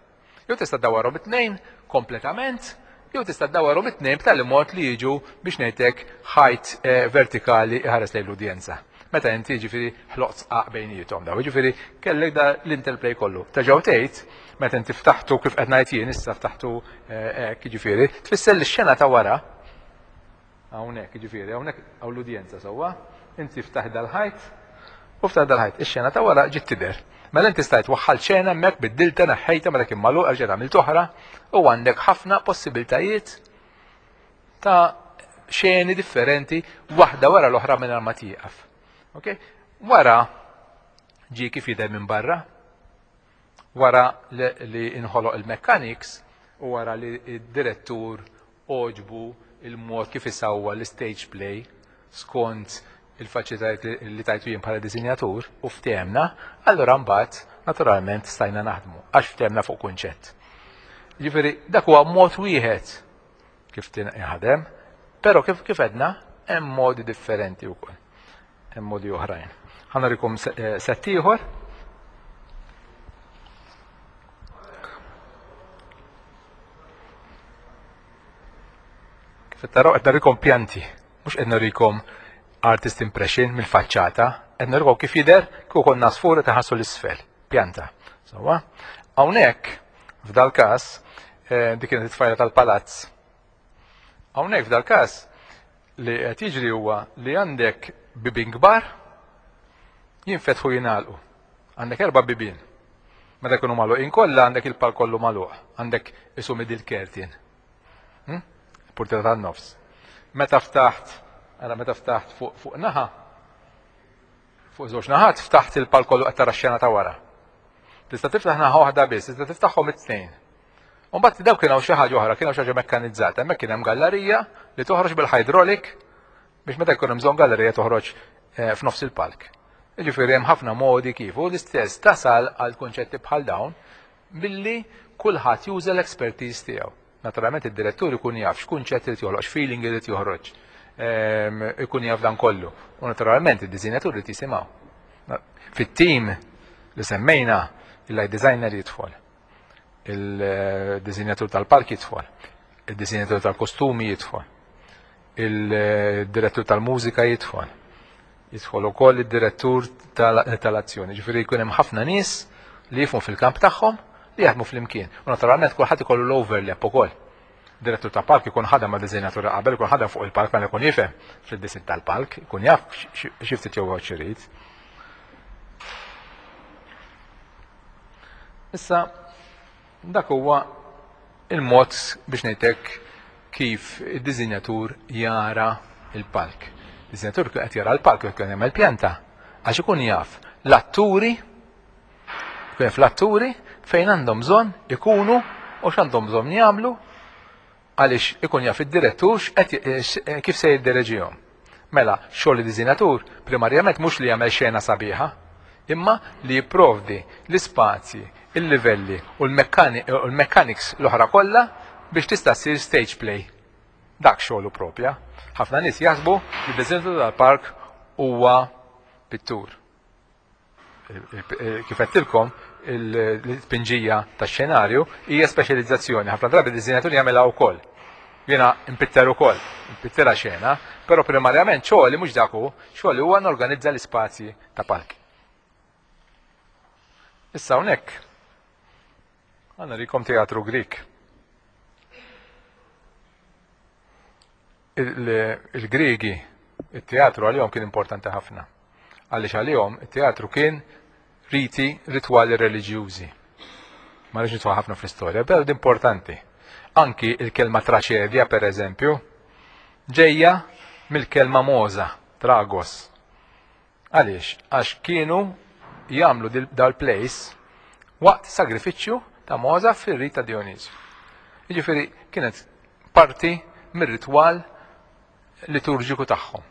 Jew tista' ddawarhom it-tnejn kompletament, jew tista' ddawarhom it-tnejn b'tali mod li jiġu, biex ngħidlek, ħajt eh, vertikali iħares lejn l-udjenza. Meta inti ġifieri ħloqt sqaq bejniethom daw, ġifieri kellek da l-interplay kollu. Terġgħu tgħid, meta inti ftaħtu kif qed ngħid jien issa, ftaħtu eh, hekk, ġifieri, tfisser li x-xena ta' wara hawnhekk, ġifieri hawnhekk hawn l-udjenza sewwa, inti ftaħ dal-ħajt u ftaħ dal-ħajt, ix-xena ta' wara ġiet tidher. Mela inti stajt waħħal xena hemmhekk, biddilta, neħħejta meta kien magħluq, erġa' għamilt oħra u għandek ħafna possibiltajiet ta' xeni differenti waħda wara l-oħra minn ma tieqaf. Okay? Wara ġi kif jidher minn barra, wara li inħoloq il-mechanics u wara li id-direttur għoġbu il-mod kif isawwa l-stage play skont il-faċilitajiet li tajtu jien bħala disinjatur u ftehemna, allura mbagħad naturalment stajna naħdmu għax ftehemna fuq kunċett. Ġifieri dak huwa mod wieħed kif tinħadem, però kif kif għedna, hemm modi differenti wkoll. Hemm modi oħrajn. Ħa nurikom eh, set ieħor. Kif taraw, qed nurikom pjanti, mhux qed nurikom artist impression mill-faċċata, qed nurikom kif jidher kieku konna sfur taħassu l-isfel. pjanta. Sewwa? Hawnhekk, f'dal każ, eh, dik kienet it-tfajla tal-palazz. Hawnhekk f'dal każ li qed jiġri huwa li għandek bibien kbar jinfetħu jingħalqu. Għandek erba' bibien. Meta jkunu magħluqin kollha għandek il-palk kollu magħluq, għandek isu middle curtain. Hm? Portiera tan-nofs. Meta ftaħt, ara meta ftaħt fuq fuq naħa, fuq żewġ naħat ftaħt il-palk kollu qed tara x-xena ta' wara. Tista' tiftaħ naħa waħda biss, tista' tiftaħhom it-tnejn. U mbagħad daw kien hawn xi ħaġa oħra, kien hawn xi ħaġa mekkanizzata, hemmhekk kien hemm gallerija li toħroġ bil-hydraulic biex meta jkun hemm bżonn gallerija toħroġ eh, f'nofs il-palk. Jiġifieri hemm ħafna modi kif u l-istess tasal għal kunċetti bħal dawn billi kulħadd juża l-expertise tiegħu. Naturalment id-direttur ikun jaf x'kunċett irid joħloq, x'feeling irid joħroġ, ehm, ikun jaf dan kollu. U naturalment id-disinjatur irid jisimgħu. Fit-tim li semmejna il-light designer jidħol, il-disinjatur tal-palk jidħol, il-disinjatur tal-kostumi jidħol, il-direttur tal-mużika jidħol, jidħol ukoll id-direttur tal-azzjoni. Ġifieri jkun hemm ħafna nies li jifhmu fil-kamp tagħhom li jaħdmu flimkien. U naturalment kulħadd ikollu l-overlap ukoll. Direttur ta' palk ikun ħadem ma' disinjatur qabel, ikun ħadem fuq il-palk mela ikun jifhem fid-disin tal-palk, ikun jaf xi ftit jew x'irid. Issa dak huwa il-mod biex ngħidlek kif id-disinjatur jara il-palk. Disinjatur qed jara l-palk jekk jagħmel pjanta għax ikun jaf l-atturi, ikun jaf l-atturi fejn għandhom bżonn ikunu u x'għandhom bżonn jagħmlu għaliex ikun jaf id-direttur kif se jiddereġihom. Mela, xogħol id-disinjatur primarjament mhux li jagħmel xena sabiħa, imma li jipprovdi l-ispazji, il-livelli u l-mechanics l-oħra kollha biex tista' ssir stage play. Dak xogħlu propja. Ħafna nies jaħsbu li d-disinjatur tal-park huwa pittur. Kif għedtilkom, l-tpinġija tax-xenarju hija speċjalizzazzjoni. Ħafna drabi d-disinjatur jagħmilha wkoll. Jiena npitter ukoll, npittera xena, però primarjament xogħli mhux dak hu, xogħli huwa norganizza l-ispazji ta' palk. Issa hawnhekk għandna rikom teatru Grik. Il-Griegi, il-teatru għalihom kien importanti ħafna. Għaliex għalihom it-teatru kien riti ritwali reliġjużi. Ma rridx nidħol ħafna fl-istorja, però importanti. Anki il-kelma traċedja, per eżempju, ġejja mill-kelma moza, tragos. Għaliex? Għax kienu jagħmlu dal-place waqt sagrifiċċju ta' moza fir-rit ta' Dionisju. Jiġifieri kienet parti mir-ritwal liturġiku tagħhom.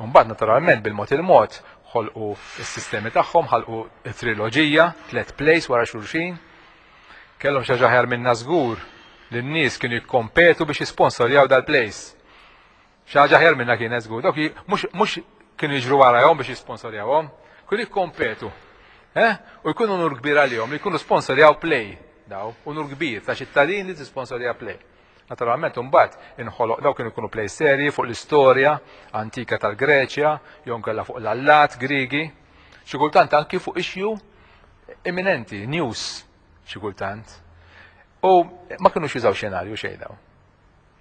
U mbagħad naturalment bil-mod il-mod ħolqu s-sistemi tagħhom, ħalqu triloġija, tliet plays wara xulxin. Kellhom xi ħaġa aħjar minna żgur li n-nies kienu jikkompetu biex jisponsorjaw dal-plays. Xi ħaġa aħjar minna kienet żgur. Dawk mhux kienu jiġru warahom biex jisponsorjawhom, kienu jikkompetu. Eh? U jkunu unur kbir għalihom li jkunu sponsorjaw play daw, unur kbir ta' ċittadin li tisponsorja play. Naturalment imbagħad inħoloq daw kienu jkunu play serji fuq l-istorja antika tal-Greċja, jew inkella fuq l-allat Griegi, xi kultant anki fuq issue imminenti, news xi kultant. U ma kinux jużaw xenarju xejn daw.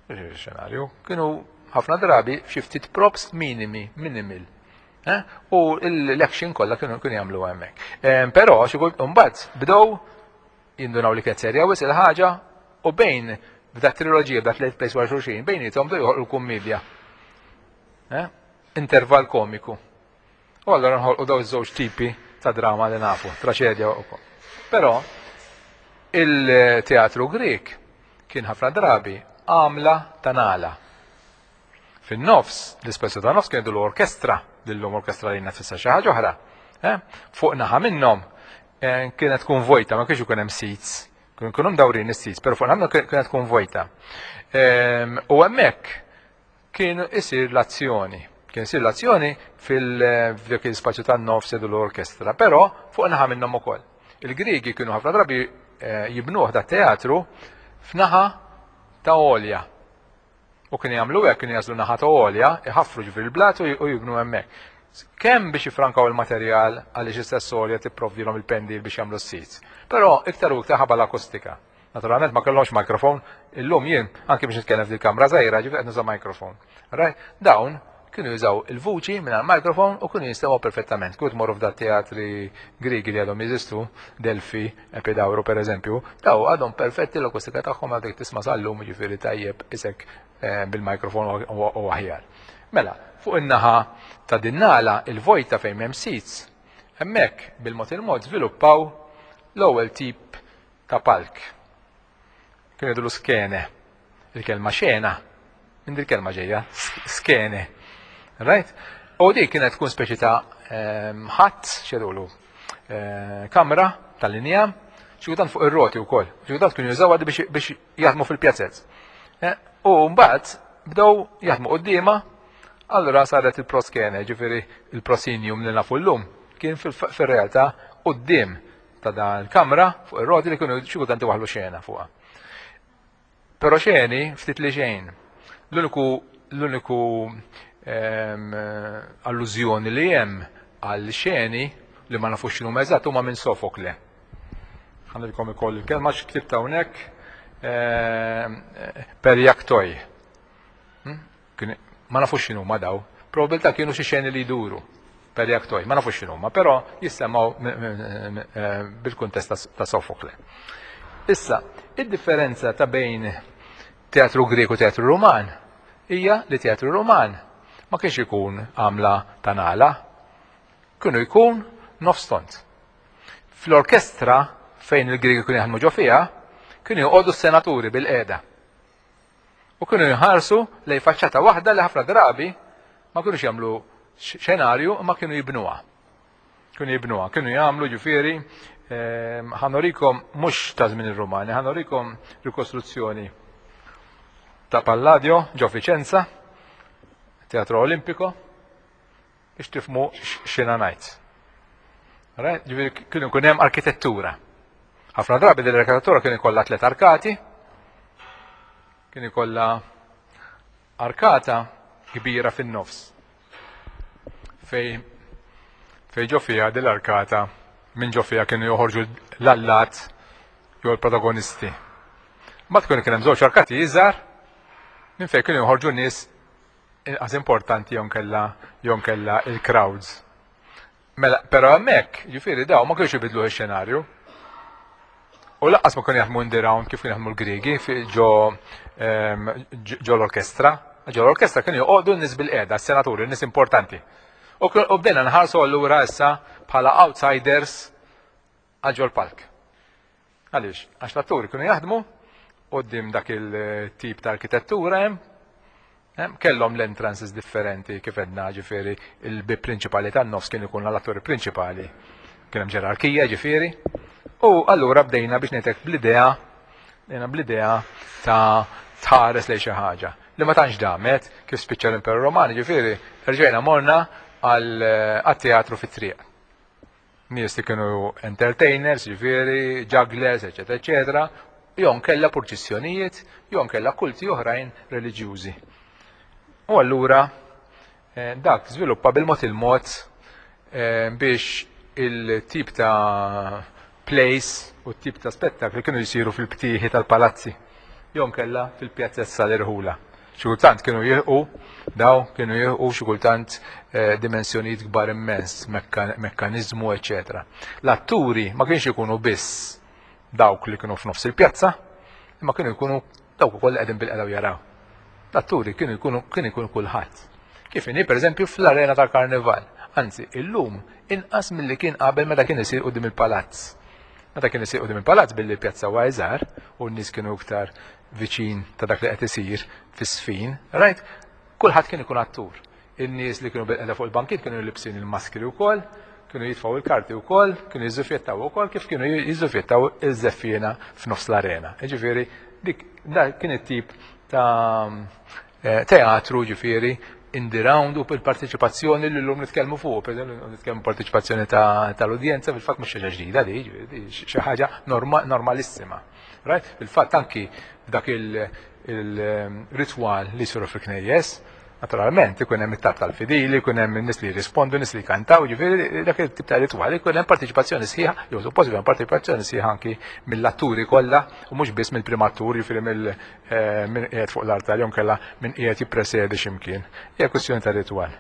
Xenarju, kienu ħafna drabi xi ftit props minimi, minimal. Eh? U l-action kollha kienu kienu jagħmlu hemmhekk. Però xi kultant imbagħad bdew jindunaw li kienet serja wisq il-ħaġa u bejn b'da triloġija, b'da tliet plays wara xulxin, bejniethom bdew joħolqu kummedja. Eh? Intervall komiku. U allura nħolqu daw iż-żewġ tipi ta' drama li nafu, traċedja wkoll. Però il-teatru Grek kien ħafna drabi għamla ta' nala. Fin-nofs, l-ispazju ta' nofs kien jgħidu l-orkestra, lillum orkestra li tfisser xi ħaġa oħra. Eh? Fuq naħa minnhom eh, kienet tkun vojta, ma kienx ikun hemm seats. Kienu jkunu mdawrin is-seats, però fuq naħa kienet tkun vojta. Ehm, u hemmhekk kien isir l-azzjoni. Kien isir l-azzjoni fil-dak il-spazju tan-nofs jgħidu l-orkestra, però fuq naħa minnhom ukoll. Il-Griegi kienu ħafna drabi eh, jibnuh da teatru f'naħa ta' għolja. U kienu jagħmlu hekk, kienu jażlu naħa ta' għolja, iħaffru ġifieri l-blat u jibnu hemmhekk. Kemm biex jifrankaw il-materjal għaliex istess għolja tipprovdilhom il-pendil biex jagħmlu s-seats. Però iktar u iktar ħabba l-akustika. Naturalment ma kellhomx mikrofon, illum jien anke biex nitkellem fil-kamra żgħira ġifieri qed nuża mikrofon. Right? Dawn kienu jużaw il-vuċi minn mikrofon u kienu jistgħu perfettament. Kieku tmorru f'da teatri Grigi li għadhom jeżistu, Delfi, Epidauro per eżempju, daw għadhom perfetti l-akustika tagħhom għadek tisma' sal-lum, ġifieri tajjeb isek eh, bil-mikrofon u aħjar. Mela, fuq in-naħa ta' din nagħla il-vojta fejn hemm seats, hemmhekk bil-mod il-mod żviluppaw l-ewwel tip ta' palk. Kienu jgħidulu skene. Il-kelma xena, minn il kelma ġejja, skene. Right? U dik kienet tkun speċi ta' ehm, ħadd, xedulu, eh, kamra tal-linja, xi kultant fuq ir-roti wkoll. Xi kultant kienu jużaw biex biex jaħdmu fil-pjazzez. Eh, u mbagħad bdew jaħdmu quddiemha, allura saret il-proskene, ġifieri il-proscenium li nafu llum, kien fil-realtà quddiem ta' dan il-kamra fuq ir-roti li kienu xi kultant iwaħħlu xena fuqha. Però xeni ftit li xejn. L-uniku l-uniku ehm, allużjoni li hemm għal xeni li ma nafux x'inhu eżatt huma minn Sofokle. Ħa ngħidilkom ukoll il-kelma x'ktibt hawnhekk ehm, perjaktoj. Hmm? Ma nafux x'inhu ma daw. Probabilità kienu xi xeni li jduru perjaktoj, ma nafux x'inhuma, però jissemgħu eh, bil-kuntest ta' Sofokle. Issa, id-differenza ta' bejn teatru Grek u teatru Ruman hija li teatru Ruman ma kienx ikun għamla ta' nagħla, kienu jkun nofs tond. Fl-orkestra fejn il-Griegi kienu jaħdmu ġo fiha, kienu joqogħdu s-senaturi bil-qiegħda. U kienu jħarsu lej faċċata waħda li ħafna drabi ma kienux jagħmlu xenarju ma kienu jibnuha. Kienu jibnuha, kienu jagħmlu ġifieri ehm, ħa nurikom mhux ta' żmien ir-Rumani, ħa nurikom rikostruzzjoni ta' Palladio ġo Vicenza, Teatro Olimpico, biex tifhmu x'jiena ngħid. Ġifieri kienu jkun hemm arkitettura. Ħafna drabi din l-arkitettura kienu jkollha tliet arkati, kien ikollha arkata kbira fin-nofs. Fej fej ġo fiha din l-arkata minn ġo fiha kienu joħorġu l-allat jew l-protagonisti. Mbagħad kienu kien hemm żewġ arkati iżgħar minn fejn kienu joħorġu nies inqas importanti jew kella jew kella il-crowds. Mela, però hemmhekk, ġifieri daw ma kienux ibidlu x-xenarju. U lanqas ma kienu jaħdmu in the round kif kienu jaħdmu l-Griegi ġo ehm, ġo l-orkestra. Ġo l-orkestra kienu joqogħdu n-nies bil-qiegħda, s-senaturi, n-nies importanti. U bdejna nħarsu allura issa bħala outsiders għal ġol palk. Għaliex? Għax l-atturi kienu jaħdmu quddiem dak il-tip ta' arkitettura hemm, kellhom l-entrances differenti kif għedna, ġifieri il-bib prinċipali tan-nofs kien ikun l-atturi prinċipali. Kien hemm ġerarkija ġifieri. U allura bdejna biex ngħidlek bl-idea, bdejna bl-idea ta' tħares lejn xi ħaġa. Li ma tantx damet kif spiċċa l-Imperu Romani, ġifieri rġejna morna għal teatru fit-triq. Nies li kienu entertainers, ġifieri, jugglers, eċetera, eċetera, jew kella purċissjonijiet, jew kella kulti oħrajn reliġjużi. U allura eh, dak żviluppa bil-mod il-mod eh, biex il-tip ta' plays u t-tip ta' spettakli kienu jisiru fil-btieħi tal-palazzi, jew kella fil-pjazzessa l-irħula. Xi kultant kienu jilħqu, daw kienu jilħqu xi kultant eh, dimensjonijiet kbar immens, mekkanizmu, eċetera. L-atturi ma kienx ikunu biss dawk li kienu f'nofs il-pjazza, imma kienu jkunu dawk ukoll qegħdin bil-qeda jaraw. L-atturi kienu jkunu kien ikunu kulħadd. Kif inhi pereżempju fl-arena tal-Karnival. Anzi, illum inqas milli kien qabel meta kien isir quddiem il-palazz. Meta kien isir quddiem il-palazz billi l-pjazza huwa iżgħar u n-nies kienu iktar viċin ta' dak li qed isir fis-sfin, right? Kulħadd kien ikun attur. In-nies li kienu bil fuq il-bankiet kienu libsin il-maskri wkoll, kienu jitfgħu il-karti wkoll, kienu jiżżuffjettaw ukoll kif kienu jiżżuffjettaw iż-żeffiena f'nofs l-arena. Ġifieri dik dak kien it-tip ta' eh, teatru ġifieri in the round u bil-parteċipazzjoni li l-lum nitkellmu fuq, per eżempju, nitkellmu parteċipazzjoni tal-udjenza, fil-fatt mhux xi ħaġa ġdida di, xi ħaġa normalissima. Right? Fil-fatt anki dak il-ritwal li jsiru fil-knejjes, Naturalment, ikun hemm it-talb tal-fidili, ikun hemm nies li jirrispondu, nies li jkantaw, ġifieri dak it-tip ta' ritwali, ikun hemm partiċipazzjoni sħiħa, jew suppost ikun hemm partiċipazzjoni sħiħa anki mill-atturi kollha u mhux biss mill-primatur, ġifieri mill eh, min qiegħed fuq l-artal jew inkella min qiegħed jippresedi x'imkien. Hija kwistjoni ta' ritwal.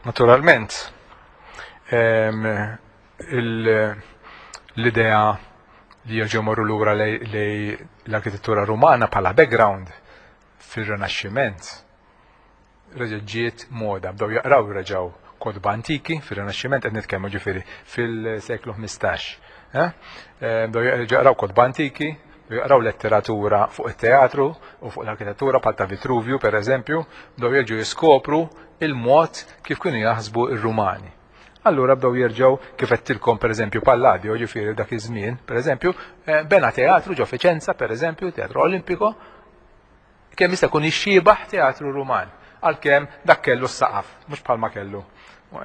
Naturalment, ehm, l-idea li jerġgħu morru lura lej l-arkitettura Rumana bħala background fir-Rinaxximent reġgħet ġiet moda, bdew jaqraw reġgħu kotba antiki fir-Rinaxximent qed nitkellmu ġifieri fil-seklu ħmistax. Eh? Eh, bdew jaqraw kotba antiki, bdew jaqraw letteratura fuq it-teatru u fuq l-arkitettura bħal ta' Vitruvju pereżempju, bdew jerġgħu jiskopru il-mod kif kienu jaħsbu r-Rumani. Allura bdew jerġgħu kif għedtilkom pereżempju Palladio, ġifieri dak iż-żmien, pereżempju, eh, bena teatru ġo Fiċenza, pereżempju, Teatru Olimpiko, kemm jista' jkun ixxiebaħ teatru Ruman, għalkemm dak kellu s-saqaf, mhux bħalma kellu,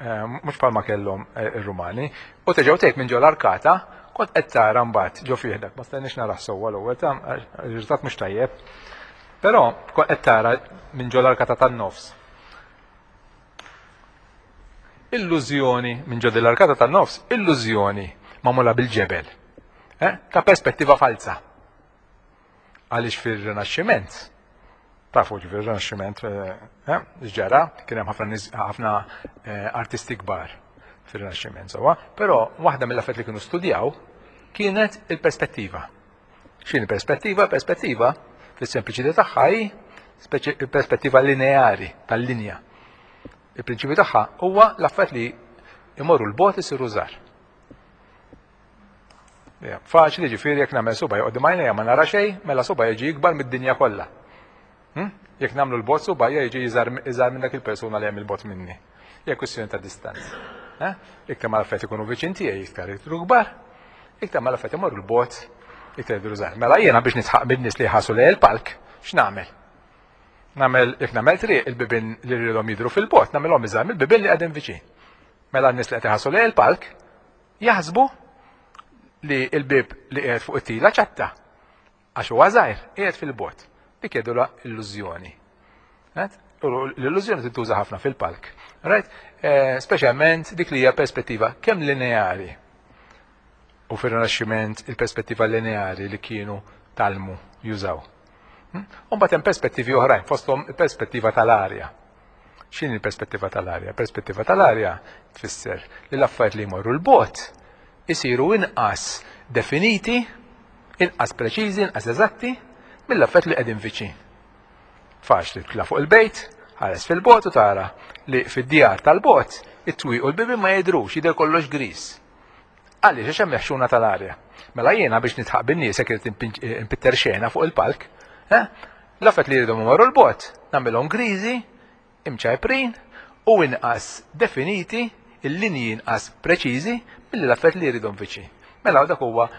eh, mhux bħalma kellhom eh, ir-Rumani. U terġgħu tgħid minn ġo l-arkata, kont qed tara mbagħad ġo fih dak, ma stajniex narah sewwa l-ewwel ta' riżultat mhux tajjeb. Però kont qed tara minn ġo l-arkata tan-nofs. Illużjoni minn ġo l-arkata tan-nofs, illużjoni magħmula bil-ġebel, eh? Ta' perspettiva falsa. Għaliex fir-Rinaxximent, tafu ġifieri fir-Rinaxximent, eh, ġara, kien hemm ħafna ħafna eh, artisti kbar fir-Rinaxximent sewwa, però waħda mill-affarijiet li kienu studjaw kienet il-perspettiva. X'inhi perspettiva? Perspettiva fis-sempliċità tagħha hi perspettiva lineari tal-linja. Il-prinċipju tagħha huwa l-affarijiet li imorru l-bot isiru żgħar. Faċli ġifieri jekk nagħmel suba joqgħod għajnejja ma nara xejn, mela suba jiġi ikbar mid-dinja kollha. Hm? Jekk nagħmlu l-bot suba jiġi iżgħar minn dak il-persuna li hemm il-bot minni. Hija kwistjoni ta' distanza. Eh? Iktar ma l-affarijiet ikunu viċin tiegħi iktar jidhru kbar, iktar ma l-affarijiet imorru l-bot iktar jidhru żgħar. Mela jiena biex nitħaq bin-nies li jħassu lejn il-palk, x'nagħmel? Nagħmel jekk nagħmel triq il-bibien li rridhom jidhru fil-bot, nagħmilhom iżgħar mill-bibien li qegħdin viċin. Mela n-nies li qed iħassu lejn il-palk jaħsbu li l-bib li qiegħed fuq it-tila ċatta għax huwa żgħir qiegħed fil-bot. Dik jgħidulha illużjoni. L-illużjoni tintuża ħafna fil-palk. Right? Eh, speċjalment dik li hija perspettiva kemm lineari u fir-Rinaxximent il-perspettiva lineari li kienu talmu jużaw. U mbagħad hemm perspettivi oħrajn, fosthom il-perspettiva tal-arja. X'inhi l-perspettiva tal-arja? Perspettiva tal-arja tfisser li l-affarijiet li jmorru l-bot isiru inqas definiti, inqas preċiżi, inqas eżatti mill-affarijiet li qegħdin viċin. Faċli titla' fuq il-bejt, ħares fil-bot u tara li fid-djar tal-bot it-twieq u l-bibien ma jidhrux, jidher kollox gris. Għaliex għax hemm ħxuna tal-arja. Mela jiena biex nitħaq bin-nies jekk irid impitter xena fuq il-palk, eh? L-affarijiet li jridhom imorru l-bot, nagħmilhom griżi, imċajprin u inqas definiti, il-linji inqas preċiżi milli l-affarijiet li jridhom viċin. Mela dak huwa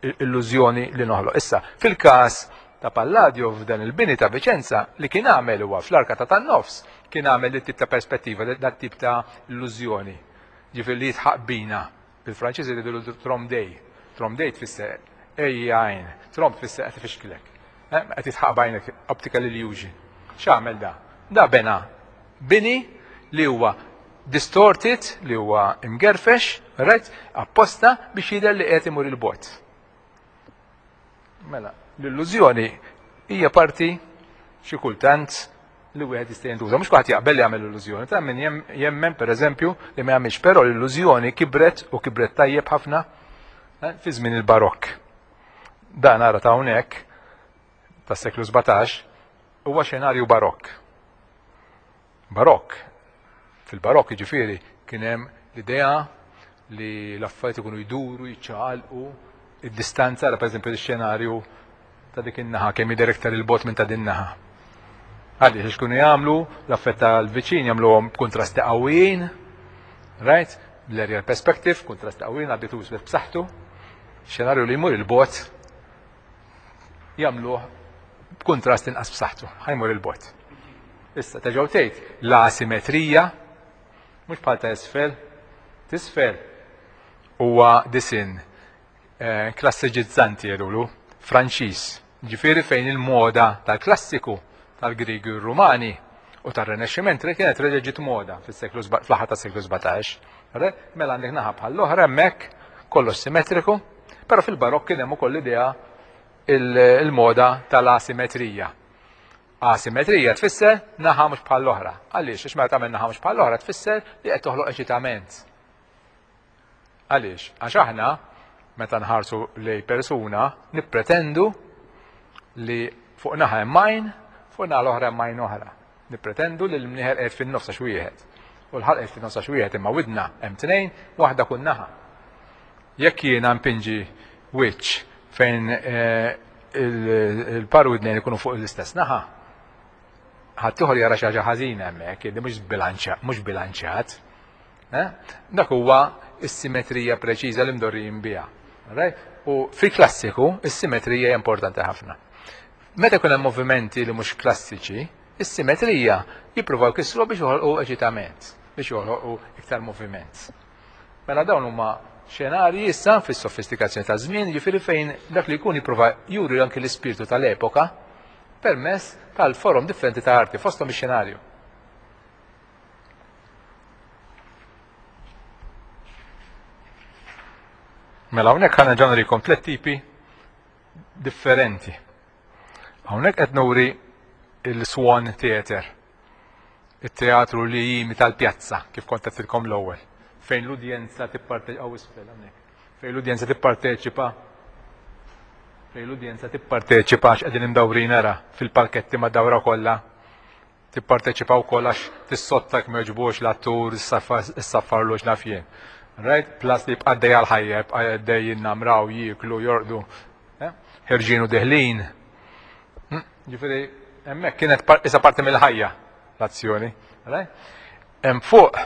illużjoni li noħloq. Issa, fil-każ ta' Palladio f'dan il-bini ta' Viċenza li kien għamel huwa fl-arkata tan-nofs kien għamel dit tip ta' perspettiva, dat tip ta' illużjoni. Ġifieri li jitħaq bina. Bil-Franċiż jgħidu trompe-l'œil. Trompe-l'œil tfisser ej għajn, trompe tfisser qed ifixklek. Qed jitħaq b'għajnek, optical illusion. X'għamel da? Da bena bini li huwa distorted, li huwa imgerfex, right? Apposta biex jidher li qed imur il-bot. Mela, l-illużjoni hija parti xi kultant li wieħed jista' jintuża. Mhux kulħadd jaqbel li jagħmel illużjoni, ta' min jemmen pereżempju li ma jagħmilx, però l-illużjoni kibret u kibret tajjeb ħafna eh, fi żmien il-Barokk. Dan ara ta' hawnhekk tas-seklu sbatax huwa xenarju Barokk. Barokk. Fil-Barokk jiġifieri kien hemm l-idea li l-affarijiet ikunu jduru, jiċċaqalqu, id-distanza, ara pereżempju x-xenarju ta' dik in-naħa kemm jidher iktar il-bot minn ta' din naħa. Għaliex għax kienu jagħmlu l-affett tal-viċin jagħmluhom b'kuntrasti qawwijin, right? L-aerial perspective, kuntrasti qawwijin, għabbitu iswed b'saħħtu. Xenarju li jmur il-bot jagħmluh b'kuntrast inqas b'saħħtu, ħajmur il-bot. Issa terġgħu tgħid l-asimetrija mhux bħal ta' isfel, tisfel huwa disinn eh, klassiċizzanti jgħidulu. Franċiż, ġifieri fejn il-moda tal-klassiku tal-Griegi u r-Rumani u tar-Rinaxximent kienet reġa' ġiet moda fis-seklu fl-aħħar tas-seklu sbatax. Mela għandek naħa bħall-oħra hemmhekk kollox simmetriku, però fil-Barokk kien hemm ukoll l-idea il-moda tal-asimetrija. Asimetrija tfisser naħa mhux bħall-oħra. Għaliex? Għax meta tagħmel naħa mhux bħall-oħra tfisser li qed toħloq eċitament. Għaliex? Għax aħna meta nħarsu lej persuna nippretendu li fuq naħa hemm għajn, fuq naħa l-oħra hemm għajn oħra. Nippretendu li l-mnieħer qiegħed fin-nofs għax wieħed. U l-ħalq qiegħed fin-nofs għax wieħed, imma widna hemm tnejn, waħda kull naħa. Jekk jiena npinġi wiċċ fejn il-par widnejn ikunu fuq l-istess naħa, ħadd ieħor jara xi ħaġa ħażina hemmhekk, li mhux bilanċa, mhux bilanċjat. Dak huwa s-simetrija preċiża li mdorrijin biha. U fil-klassiku, is-simetrija hija importanti ħafna. Meta jkun hemm movimenti li mhux klassiċi, is-simetrija jippruvaw jkissru biex joħolqu eċitament, biex joħolqu iktar moviment. Mela dawn huma xenarji issa fis-sofistikazzjoni ta' żmien, jiġifieri fejn dak li jkun jipprova juri anki l-ispirtu tal-epoka permess tal-forom differenti ta' arti, fosthom ix-xenarju. Mela hawnhekk ħa nerġa' nurikom tliet tipi differenti. Hawnhekk qed nuri il-Swan Theatre, it-teatru li jimita l-pjazza, kif kont għedtilkom l-ewwel, fejn l-udjenza tipparteċipa, isfel hawnhekk, fejn l-udjenza tipparteċipa, fejn l-udjenza tipparteċipa għax qegħdin imdawrin ara fil-palketti mad-dawra kollha, tipparteċipa wkoll għax tissotta jekk ma jogħġbux l-attur, issaffarlu x'naf jien. Right? Plus li jibqa' għaddej għall-ħajja, jibqa' għaddej jinnamraw, jieklu, jorqdu, ħerġin u deħlin. Ġifieri hemmhekk kienet isa parti mill-ħajja l-azzjoni. Right? Hemm fuq,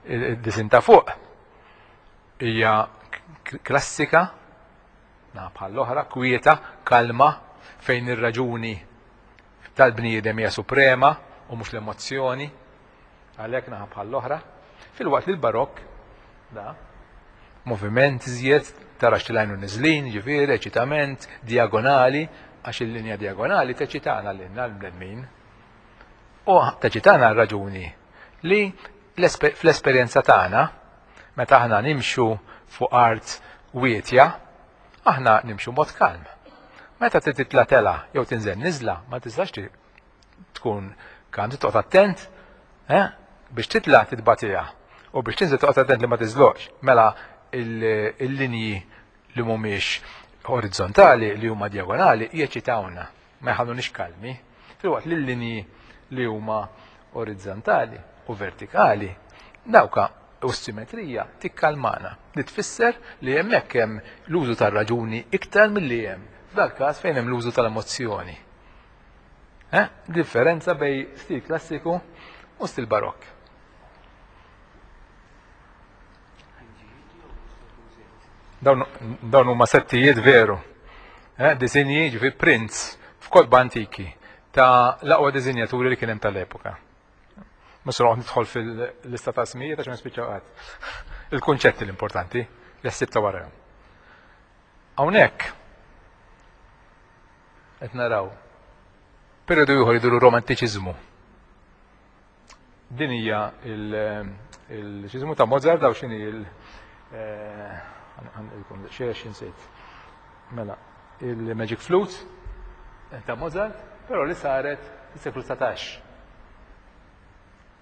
id-disin ta' fuq hija klassika, na bħall-oħra, kwieta, kalma, fejn ir-raġuni tal-bniedem hija suprema u mhux l-emozzjoni, għalhekk naħa bħall-oħra. Filwaqt li l-Barokk da moviment iżjed, tarax tilajnu niżlin, ġifieri, eċitament, diagonali, għax il-linja diagonali teċitana lilna l-bnedmin. U teċitana r-raġuni li fl-esperjenza tagħna, meta aħna nimxu fuq art wietja, aħna nimxu mod kalm. Meta titla tela jew tinżel niżla, ma tistax tkun kalm, toqgħod attent, eh, biex titla titbatija u biex tinżel toqgħod attent li ma tiżloqx. Mela il-linji li mhumiex orizzontali, li huma diagonali, jeċitawna, ma jħallunix kalmi. Filwaqt li l-linji li huma orizzontali u vertikali, dawka u s-simetrija tikkalmana, li tfisser li hemmhekk hemm l-użu tar-raġuni iktar milli hemm f'dal-każ fejn hemm l-użu tal-emozzjoni. Eh? Differenza bej stil klassiku u stil barokk. Dawn huma settijiet veru. Eh? Disinji, ġifi prints f'kotba antiki ta' l-aqwa disinjaturi li kien hemm tal-epoka. Mhux se noqgħod nidħol fil-lista ta' ismijiet għax ma nispiċċaw qatt. Il-kunċetti l-importanti li ħsieb ta' warahom. Hawnhekk qed naraw periodu ieħor jiduru romantiċiżmu. Din hija il-ċiżmu ta' Mozart, daw x'inhi il xiex insejt. Mela, il-Magic Flute ta' Mozart, però li saret fis-seklu satax.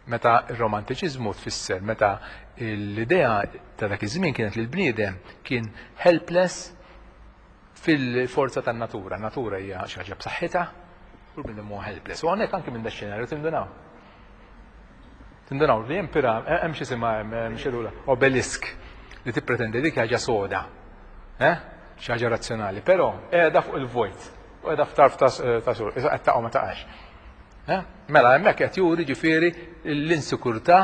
Meta r-romantiċiżmu tfisser meta l-idea ta' dak iż-żmien kienet li l-bniedem kien helpless fil-forza tan-natura. Natura hija xi ħaġa b'saħħitha u l-bniedem huwa helpless. U hawnhekk anke minn dax-xenarju tindunaw. Tindunaw li hemm piram, hemm xi isimha hemm xi obelisk li tippretendi dik ħaġa soda. Eh? Xi ħaġa razzjonali, però qiegħda fuq il-vojt u qiegħda f'tarf ta' sur, issa qed taqa' ma taqax. Mela hemmhekk qed juri ġifieri l-insikurtà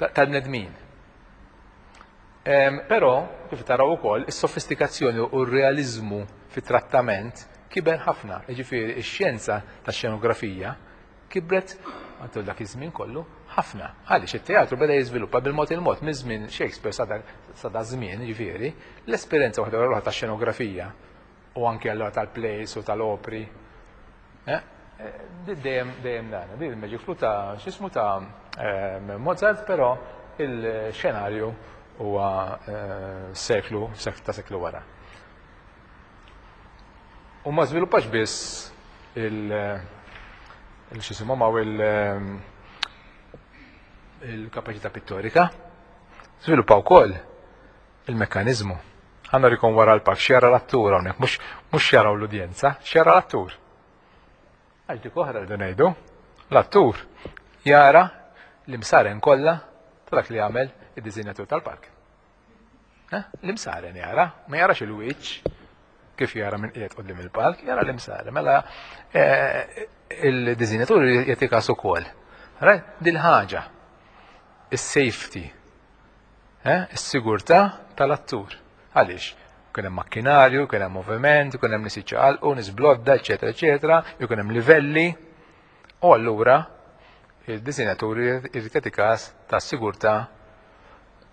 tal-bnedmin. Però kif taraw ukoll is-sofistikazzjoni u r-realiżmu fit-trattament kiber ħafna, jiġifieri x-xjenza tax-xenografija kibret matul dak iż-żmien kollu ħafna. Għaliex it-teatru beda jiżviluppa bil-mod il-mod minn żmien Shakespeare sa da żmien, jiġifieri, l-esperjenza waħda wara l-oħra tax-xenografija U anke allora tal-plays u tal-opri. Eh? Dejjem dejjem dan. Din il-Magic Flute ta' x'ismu ta' Mozart, però il-xenarju huwa seklu, ta' seklu wara. U ma żviluppax biss il x'jisimhom hawn il-kapaċità pittorika, żviluppa wkoll il-mekkaniżmu. Ħa nurikom wara l-palk x'jara l-attur hawnhekk, mhux mhux jaraw l-udjenza, x'jara l-attur. Għax dik oħra rridu ngħidu, l-attur jara l-imsaren kollha ta' dak li jagħmel id-disinjatur tal-palk. L-imsaren jara, ma jarax il-wiċċ kif jara minn qiegħed quddiem il-palk, jara l-imsaren. Mela il-disinjatur jagħti każ ukoll. Dil-ħaġa, is-safety, is-sigurtà tal-attur. Għaliex? Kien hemm makkinarju, kien hemm moviment, kien hemm nies jiċċaqalqu, nies blodda, eċetera, eċetera, jkun hemm livelli. U allura il-disinjatur irid jagħti każ tas-sigurtà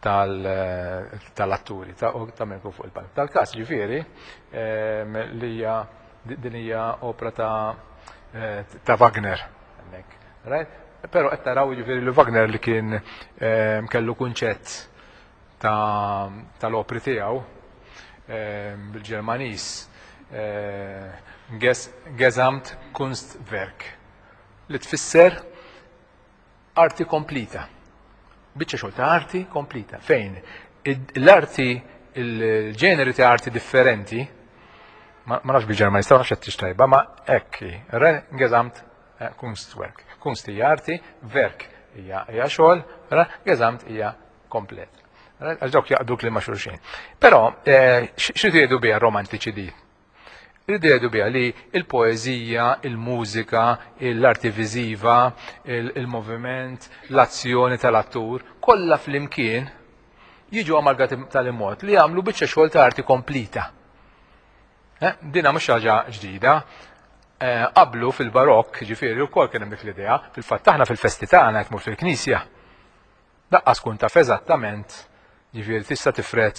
tal-atturi ta' min fuq il-palk. Tal-każ ġifieri li hija din hija opra ta' ta' Wagner hemmhekk. Right? Però qed taraw ġifieri li Wagner li kien kellu kunċett tal-opri tiegħu bil-Ġermaniż Gesamtkunstwerk li tfisser arti komplita. Biċċa xogħol ta' arti komplita. Fejn l-arti, il-ġeneri ta' arti differenti, ma nafx bil-Ġermaniż, ma nafx qed tajba, ma hekk Gesamtkunstwerk. Kunst hija arti, werk hija xogħol, Gesamt hija komplet. Għax dawk jaqdu kliem ma' xulxin. Però x'ridu jgħidu biha romantiċi di? Rridu jgħidu biha li il-poeżija, il-mużika, l-arti viżiva, il-moviment, l-azzjoni tal-attur, kollha flimkien jiġu amalgati tal-mod li jagħmlu biċċa xogħol ta' arti komplita. Dina mhux ħaġa ġdida. Qablu fil-barokk, ġifieri wkoll kien hemm dik l-idea, fil-fatt aħna fil-festi tagħna qed tmur fil-knisja. Daqqas kun taf eżattament, ġifieri tista' tifred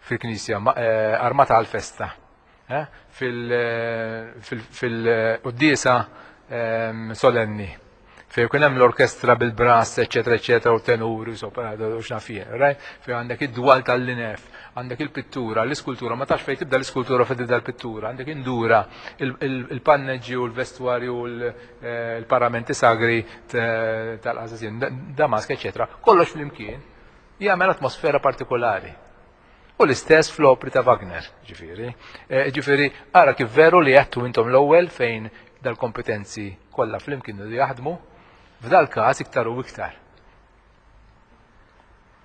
fil-knisja armata għal-festa. Fil-quddiesa solenni. Fejn ikun hemm l-orkestra bil-brass, eċetera, eċetera, u tenuri, u soprano, u x'naf jien, right? Fejn għandek id-dwal tal-linef, għandek il-pittura, l-iskultura, ma tafx fejn tibda l-iskultura fejn tibda l-pittura, għandek indura, il-panneġġi u l-vestwarju u l-paramenti sagri tal-qażażin, damask, eċetera. Kollox flimkien jagħmel atmosfera partikolari. U l-istess fl-opri ta' Wagner, ġifieri. Ġifieri, ara kif veru li għedtu intom l-ewwel fejn dal-kompetenzi kollha flimkien li jaħdmu, f'dal każ iktar u iktar.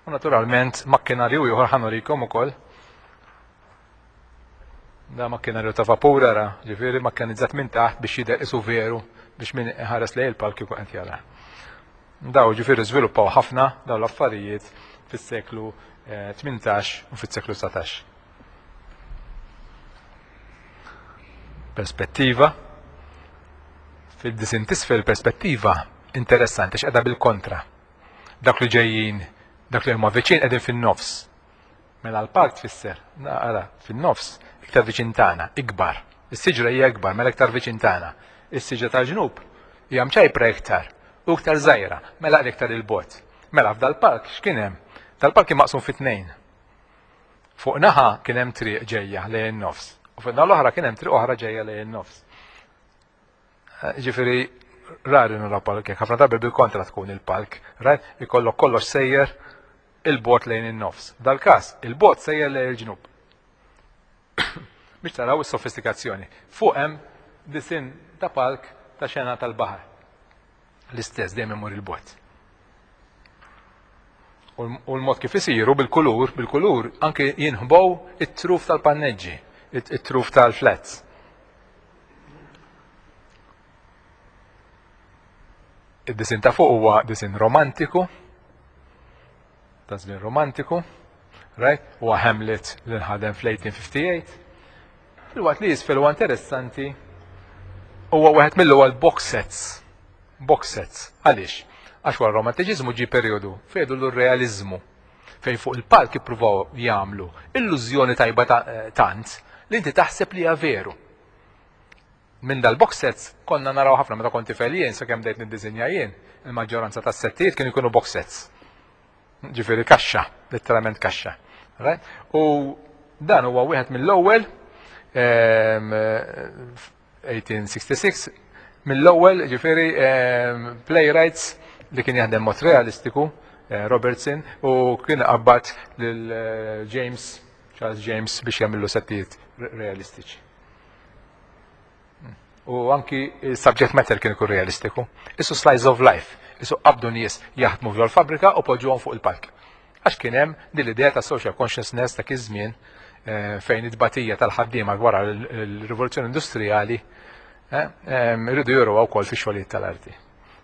U naturalment makkinarju ieħor ħa nurikom ukoll. Da makkinarju ta' vapur ara, ġifieri makkanizzat minn taħt biex jidher isu veru biex min ħares lejn il-palk jkun qed jara. Daw ġifieri żviluppaw ħafna daw l-affarijiet fis-seklu tmintax u fis-seklu dsatax. Perspettiva. Fid-disin tisfel perspettiva interessanti x'qeda bil-kontra. Dak li ġejjin, dak li huma viċin qegħdin fin-nofs. Mela l-palk tfisser, naqra, fin-nofs, iktar viċin tagħna, ikbar. Is-siġra hija ikbar, mela iktar viċin tagħna. Is-siġra tal-ġnub hija mċajpra iktar u iktar żgħira, mela iktar il-bot. Mela f'dal-palk x'kien hemm? Dal-palk kien maqsum fi tnejn. Fuq naħa kien hemm triq ġejja lejn in-nofs, u fuq naħa l-oħra kien hemm triq oħra ġejja lejn in-nofs. Ġifieri rari naraw palk hekk, ħafna drabi bil-kontra tkun il-palk, right? Ikollok kollox sejjer il-bot lejn in-nofs. Dal-każ, il-bot sejjer lejn il-ġnub. Biex taraw is-sofistikazzjoni. Fuq hemm disin ta' palk ta' xena tal-baħar. L-istess dejjem imur il-bot. U l-mod kif isiru bil-kulur, bil-kulur anke jinħbow it-truf tal-panneġġi, it-truf tal-flats. Id-disin ta' fuq huwa disin romantiku, ta' żmien romantiku, right? Huwa Hamlet li nħadem fl-eighteen fifty-eight. Filwaqt li jisfel huwa interessanti huwa wieħed mill-ewwel box sets. Box sets. Għaliex? Għax wara romantiċiżmu ġie perjodu fejn l-realizmu fejn fuq il-palk ippruvaw jagħmlu illużjoni tajba tant li inti taħseb li hija veru. Minn dal-box sets konna naraw ħafna meta kont tifel jien, sakemm bdejt niddisinja jien, il-maġġoranza tas-settijiet kienu jkunu box sets. Ġifieri kaxxa, letteralment kaxxa. Right? U dan huwa wieħed mill-ewwel ehm, eighteen sixty-six, mill-ewwel ġifieri ehm, playwrights li kien jaħdem mod realistiku, eh, Robertson, u kien qabad lil eh, James, Charles James, biex jagħmlu settijiet realistiċi. U anki il-subject matter kien ikun realistiku. Isu slice of life, isu qabdu nies jaħdmu fil-fabrika u poġġuhom fuq il-palk. Għax kien hemm din l-idea ta' social consciousness ta' iż-żmien eh, fejn it-tbatija tal-ħaddiema wara l-rivoluzzjoni industrijali eh, irridu juru wkoll fi xogħlijiet tal-arti.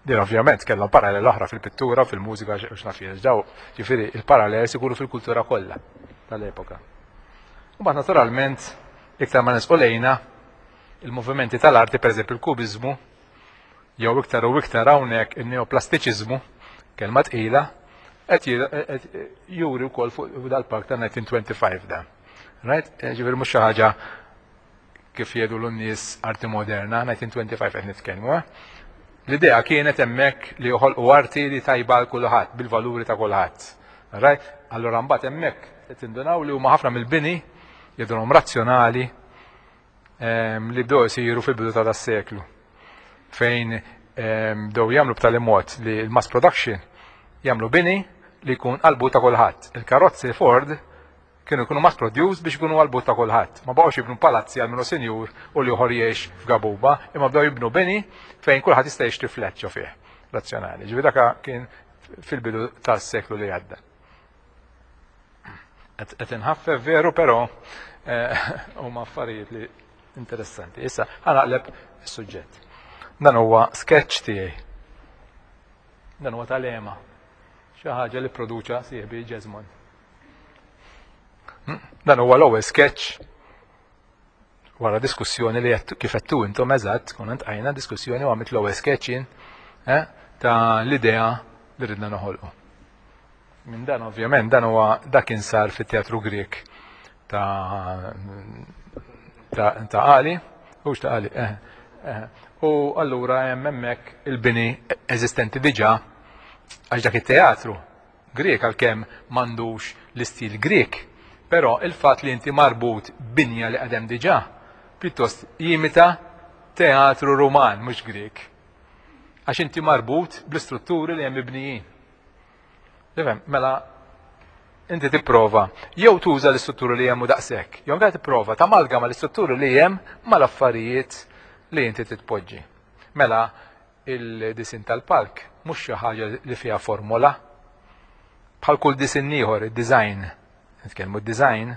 Din ovvjament kellhom parallel oħra fil-pittura, fil-mużika, x'naf jien, daw, ġifieri il-parallel ikunu fil-kultura kollha tal-epoka. U mbagħad naturalment iktar ma nersqu lejna il-movimenti tal-arti, per eżempju il-kubizmu, jew iktar u iktar hawnhekk il-neoplastiċiżmu, kelma tqila, qed juri wkoll fuq dal-palk ta' nineteen twenty-five da. Right? Ġifieri mhux xi ħaġa kif jgħidu l-nies arti moderna, nineteen twenty-five qed nitkellmu. Eh? L-idea kienet hemmhekk li joħolqu arti li tajba għal kulħadd, bil-valuri ta' kulħadd. Right? Allura mbagħad hemmhekk qed tindunaw li huma ħafna mill-bini jidhrom razzjonali ehm, li bdew isiru fil-bidu ta' das-seklu. Fejn ehm, bdew jagħmlu b'tali mod li l-mass production jagħmlu bini li jkun għall-but ta' kulħadd. Il-karozzi Ford kienu jkunu mass produced biex ikunu għall-but ta' kulħadd. Ma baqgħux jibnu palazzi għal min hu sinjur u l-ieħor jgħix f'gabuba, imma bdew jibnu bini fejn kulħadd jista' jixtri flat ġo fih razzjonali. Ġifieri dak kien fil-bidu tas-seklu li għadda. Qed inħaffef veru, però eh, huma affarijiet li interessanti. Issa ħa naqleb is-suġġett. Dan huwa sketch tiegħi. Dan huwa tal-ema. Xi ħaġa li produċa sieħbi Jesmond. Hmm? Dan huwa l-ewwel sketch wara diskussjoni li kif għedtu intom eżatt, konna għajna diskussjoni u għamilt l-ewwel sketch jien eh, ta' l-idea li ridna noħolqu. Minn dan ovvjament dan huwa dak kien sar fit-teatru Grek ta' ta' ta' Ali, hux ta' Ali, eh, eh. U allura hemm hemmhekk il-bini eżistenti diġà, għax dak it-teatru Grek għalkemm m'għandux l-istil Grek, però il-fatt li inti marbut binja li għadem diġà, pjuttost jimita teatru Ruman, mhux Grek. Għax inti marbut bl-istrutturi li hemm mibnijin. Tifhem, mela inti tipprova jew tuża l-istrutturi li hemm u daqshekk, jew anke tipprova tamalgama l-istrutturi li hemm mal-affarijiet li inti titpoġġi. Mela il-disin tal-palk mhux xi ħaġa li fiha formola. Bħal kull disin ieħor, id-design, nitkellmu d-design,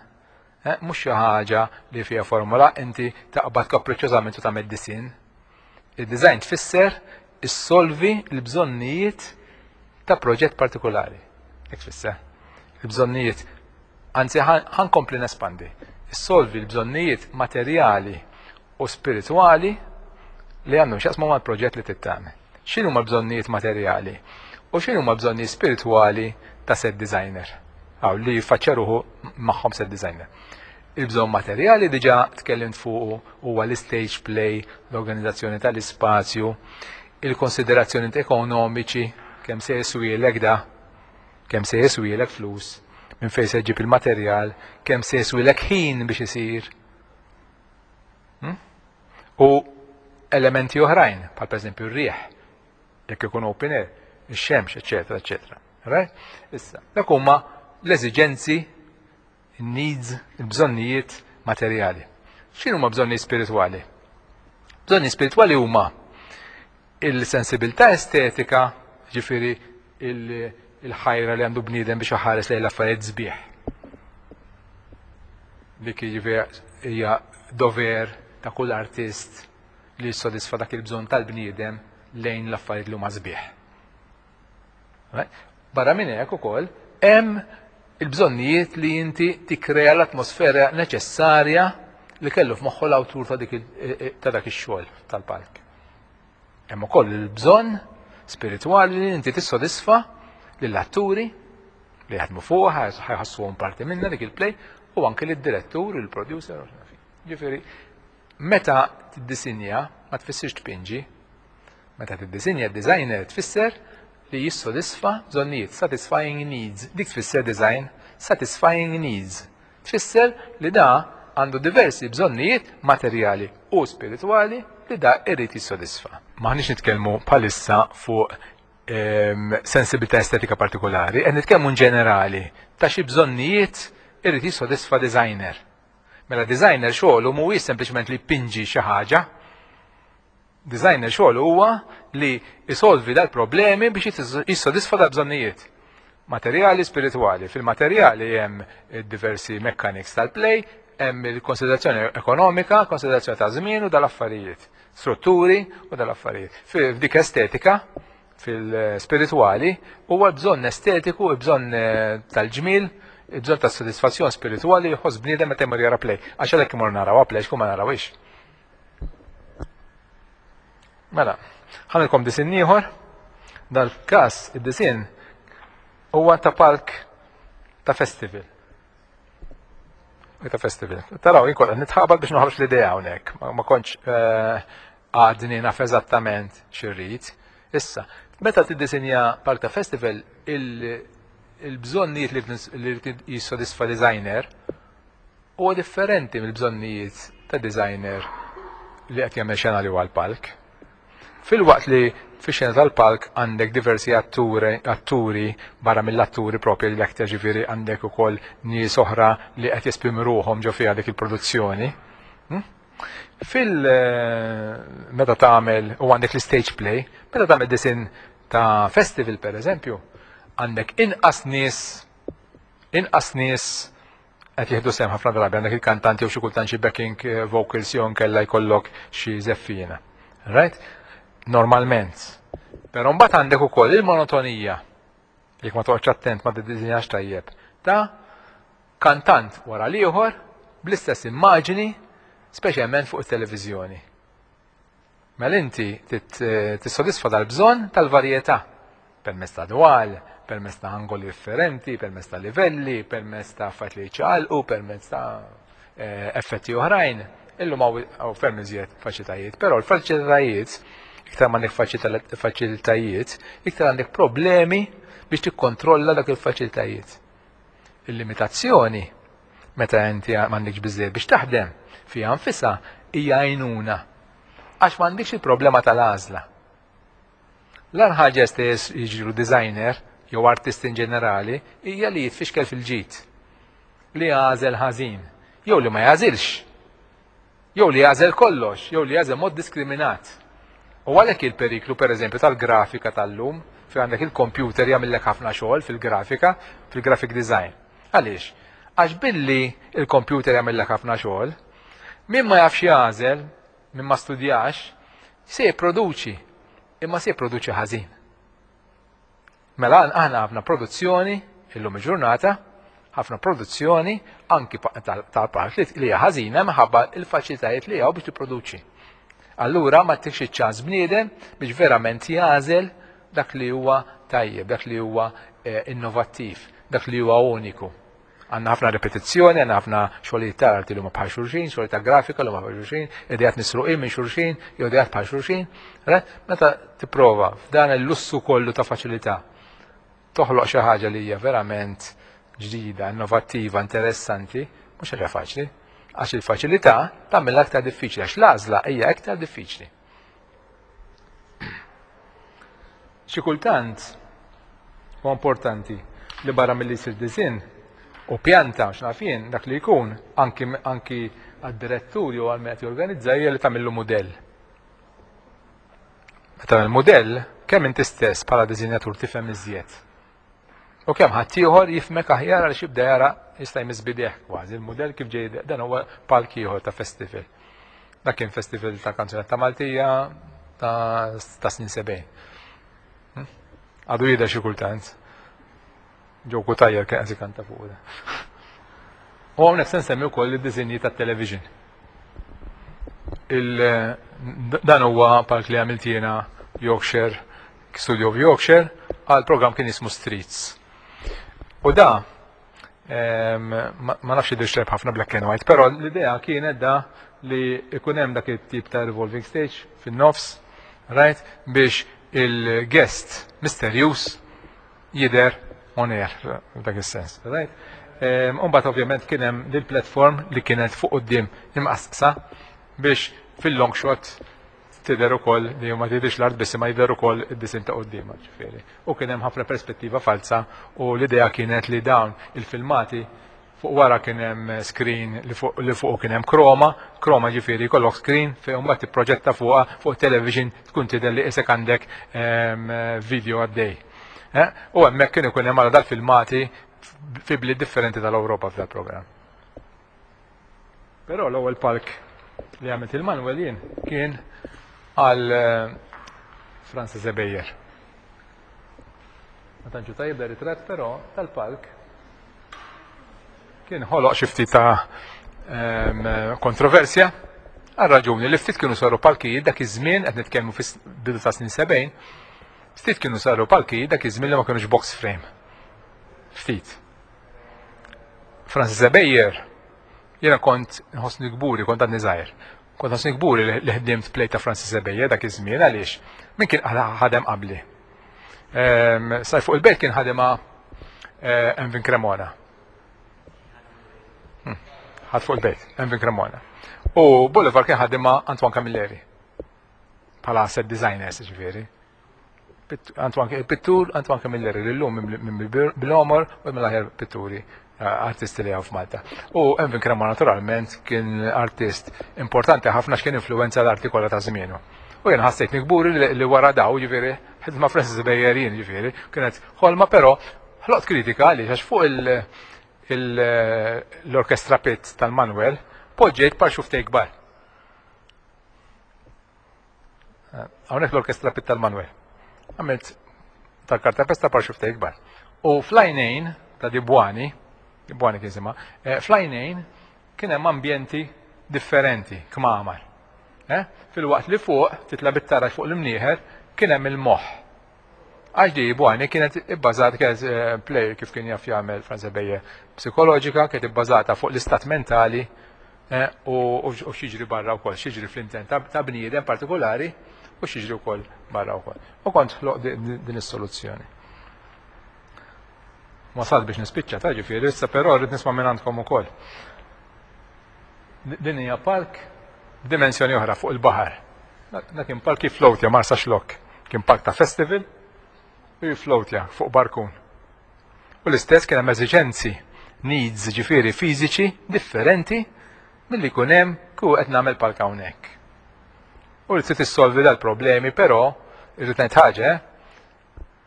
eh, mhux xi ħaġa li fiha formola inti taqbad kapriċċożament u tagħmel disin. Il-design tfisser issolvi l-bżonnijiet ta' proġett partikolari. Hekk tfisser. Il-bżonnijiet, anzi ħa nkompli nespandi. Issolvi l-bżonnijiet materjali u spiritwali li għandhom x'jaqsmu mal-proġett li tagħmel. X'inhu ma bżonnijiet materjali u x'inhu ma bżonnijiet spiritwali ta' set designer? Għaw li jiffaċċja ruħu magħhom set designer. Il-bżonn materjali diġà tkellimt fuq, huwa l-stage play, l-organizzazzjoni tal-ispazju, il-konsiderazzjoni ekonomiċi, kemm se jiswielek da, kemm se jiswielek flus, minn fejn se ġib il-materjal, kemm se jiswielek ħin biex isir. Hmm? U elementi oħrajn, bħal pereżempju r-riħ, jekk ikun open air, ix-xemx, eċetera, eċetera. Right? Issa, dak huma l-eżiġenzi, needs, il-bżonnijiet materjali. X'inhu huma bżonnijiet spiritwali? Bżonnijiet spiritwali huma il-sensibilità estetika, ġifieri il-ħajra li għandu bniedem biex iħares lejn l-affarijiet sbieħ. Dik jiġifieri hija dover ta' kull artist li jissodisfa dak il-bżonn tal-bniedem lejn l-affarijiet li huma sbieħ. Barra minn hekk ukoll hemm il-bżonnijiet li inti tikkrea l-atmosfera neċessarja li kellu f'moħħu l-awtur ta' dak ix-xogħol tal-palk. Hemm ukoll il-bżonn spiritwali li inti tissodisfa lill-atturi li jaħdmu fuq, ħa jħossuhom parti minna dik il-play, u anke lid-direttur, il-producer. Ġifieri, meta tiddisinja ma tfissirx tpinġi. Meta tiddisinja, designer tfisser li jissodisfa bżonnijiet, satisfying needs. Dik tfisser design, satisfying needs. Tfisser li da għandu diversi bżonnijiet materjali u spiritwali li da irrid jissodisfa. Maħniex nitkellmu bħalissa fuq ehm, sensibilità estetika partikolari, qed nitkellmu ġenerali ta' xi bżonnijiet irrid jissodisfa designer. Mela designer xogħlu mhuwiex sempliċement li jpinġi xi ħaġa. Designer xogħlu huwa li jisolvi dal-problemi biex jissodisfa dal-bżonnijiet. Materjali, spiritwali. Fil-materjali hemm diversi mechanics tal-play, hemm il-konsiderazzjoni ekonomika, konsiderazzjoni ta' żmien u dal-affarijiet, strutturi u dal-affarijiet. F'dik estetika, fil-spiritwali, huwa bżonn estetiku, bżonn eh, tal-ġmil, bżonn ta' soddisfazzjon spiritwali jħoss bniedem meta jmur jara play. Għax għalhekk imur naraw play, x'kum ma narawix. Mela, ħanilkom disin ieħor. Dal-każ id-disin huwa ta' palk ta' festival. Ta' festival. Taraw, jien kont nitħabad biex noħroġ l-idea hawnhekk. Ma kontx eh, għadni naf eżattament x'irrid. Issa, meta tiddisinja palk ta' festival, il-bżonnijiet li jissodisfa designer huwa differenti mill-bżonnijiet ta' designer li qed jagħmel xena li huwa l-palk. Filwaqt li fix-xena tal-palk għandek diversi atturi, atturi barra mill-atturi propri li l-aktar, ġifieri għandek ukoll nies oħra li qed jesprimu ruħhom ġo fiha dik il-produzzjoni. Hm? Fil meta tagħmel u għandek l-stage play, meta tagħmel disin ta' festival, per eżempju, għandek inqas nies inqas nies qed jieħdu sehem. Ħafna drabi għandek il-kantanti u xi kultant xi backing eh, vocals jew nkella jkollok xi żeffina. Right? Normalment. Però mbagħad għandek ukoll il-monotonija, jekk ma toqgħodx attent, ma tiddisinjax tajjeb, ta' kantant wara l-ieħor bl-istess immaġini, speċjalment fuq it-televiżjoni. Mela inti tissodisfa dal-bżonn tal-varjetà permezz ta' dwal, permezz ta' angoli differenti, permezz ta' livelli, permezz ta' affarijiet li jċaqalqu, permezz ta' eh, effetti oħrajn. Illum hawn ferm iżjed faċilitajiet, però l-faċilitajiet, iktar ma għandek faċilitajiet, iktar għandek problemi biex tikkontrolla dak il-faċilitajiet. Il-limitazzjoni, meta inti m'għandekx biżejjed biex taħdem, fiha nfisha hija għajnuna. Għax m'għandekx il-problema tal-għażla. L-agħar ħaġa stess jiġru designer jew artist in ġenerali hija li jitfixkel fil-ġid. Li jagħżel ħażin, jew li ma jagħżilx. Jew li jagħżel kollox, jew li jagħżel mod diskriminat. U għalhekk il-periklu, pereżempju, tal-grafika tal-lum, fi għandek il-computer jagħmellek ħafna xogħol fil-grafika, fil-graphic design. Għaliex? Għax billi il-computer jagħmellek ħafna xogħol, min ma jafx jagħżel, min ma studjax, se jipproduċi, imma se jipproduċi ħażin. Mela aħna ħafna produzzjoni illum il-ġurnata, ħafna produzzjoni anki tal-park li hija ħażina minħabba il-faċilitajiet li hawn biex tipproduċi. Allura ma ttikx iċ-ċans bniedem biex verament jagħżel dak li huwa tajjeb, dak li huwa eh, innovattiv, dak li huwa uniku. Għandna ħafna repetizzjoni, għandna ħafna xogħlijiet ta' arti li huma bħal xulxin, xogħlijiet ta' grafika li huma bħal xulxin, ideat misruqin minn xulxin, jew ideat bħal xulxin. Meta tipprova f'dan il-lussu kollu ta' faċilità toħloq xi ħaġa li hija verament ġdida, innovattiva, interessanti, mhux ħaġa faċli. Għax il-faċilità tagħmilha aktar diffiċli, għax l-għażla hija aktar diffiċli. Xi kultant huwa importanti li barra milli jsir disinn u pjanta x'naf jien, dak li jkun anki anki għad-direttur jew għal min qed jorganizza, hija li tagħmillu mudell. Meta tagħmel mudell, kemm inti stess bħala disinjatur tifhem iżjed. U kemm ħadd ieħor jifhmek aħjar għaliex jibda jara, jista' jmiss bideh kważi il-mudell kif ġej. Dan huwa palk ieħor ta' festival. Dak kien festival ta' kanzunetta Maltija ta' ta' snin sebgħin. Hm? Għadu jidher xi kultant. Joe Cutajar kien qed ikanta fuq da. U hawnhekk se nsemmi wkoll id-disinji tat-television. Dan huwa palk li għamilt jiena Yorkshire, Studio of Yorkshire, għal program kien jismu Streets. U da, Ma nafx jidhirx tajjeb ħafna black and white, però l-idea kienet da li ikun hemm dak it-tip ta' revolving stage fin-nofs, right, biex il-guest misterjuż jidher on air f'dak is-sens, right? Umbagħad ovvjament kien hemm dil-platform li kienet fuq quddiem imqasqsa biex fil-long shot tidher ukoll li ma tidhirx l-art biss ma jidher ukoll id-disinn ta' quddiem ġifieri. U kien hemm ħafna perspettiva falsa u l-idea kienet li dawn il-filmati fuq wara kien hemm screen li fuq li fuq kien hemm chroma, chroma ġifieri jkollok screen fejn mbagħad tipproġetta fuqha fuq television tkun tidher li isek għandek video għaddej. U hemmhekk kien ikun hemm għal dal-filmati fi bliet differenti tal-Ewropa f'dal programm. Però l-ewwel palk li għamilt il-Manuel jien kien għal Francis Ebejer. Ma tantx tajjeb da ritratt, però tal-palk kien ħoloq xi ftit ta' kontroversja għal raġuni li ftit kienu saru palkijiet dak iż-żmien, qed nitkellmu fis-bidu ta' snin sebgħin, ftit kienu saru palkijiet dak iż-żmien li ma kienux box frame. Ftit. Francis Ebejer, jiena kont nħossni kburi, kont għadni żgħir. Kont nħossni kburi li ħdimt play ta' Francis Ebejer dak iż-żmien għaliex min kien ħadem qabli. Sajf fuq il-bejt kien ħadema Envin Cremona. Ħadd fuq il-bejt, Envin Cremona. U Boulevard kien ħadema Antoine Camilleri. Bħala set designers ġifieri. Antoine pittur Antoine Camilleri li llum minn bil-omor u mill-aħjar pitturi artisti li hawn f'Malta. U Envin Cremona naturalment kien artist importanti ħafna x'kien influenza l-arti kollha ta' żmienu. U jien ħassejtni kburi li wara daw ġifieri ħidma Francis Ebejer jien ġifieri kienet ħolma, però ħloqt kritika għaliex għax fuq l-orkestra pit tal-Manuel poġġejt par xuftej kbar. Hawnhekk l-orkestra pit tal-Manuel. Għamilt tal-kartapesta par xuftej kbar. U fl-għajnejn ta' Dibwani, Dibwani kien sema, fl-għajnejn kien hemm ambjenti differenti, kmamar. Fil-waqt li fuq, titla bit-taraġ fuq l-imnieħer, kien hemm il-moħħ. Għax di Dibwani kienet ibbażata, kienet play kif kien jaf jagħmel Franz Ebejer, psikoloġika, kienet ibbażata fuq l-istat mentali u x'jiġri barra wkoll, x'jiġri fl-intent ta' bniedem partikolari u x'jiġri wkoll barra wkoll. U kont ħloq din is-soluzzjoni. Wasalt biex nispiċċa ta' ġifieri, issa però rrid nisma' minn għandkom ukoll. Din hija palk b'dimensjoni oħra fuq il-baħar. Da kien palk jiflowtja Marsa Xlokk. Kien palk ta' festival u jiflowtja fuq barkun. U l-istess kien hemm eżiġenzi, needs ġifieri fiżiċi differenti milli jkun hemm kieku qed nagħmel palk hawnhekk. U li trid issolvi dal-problemi, però irrid ngħid ħaġa,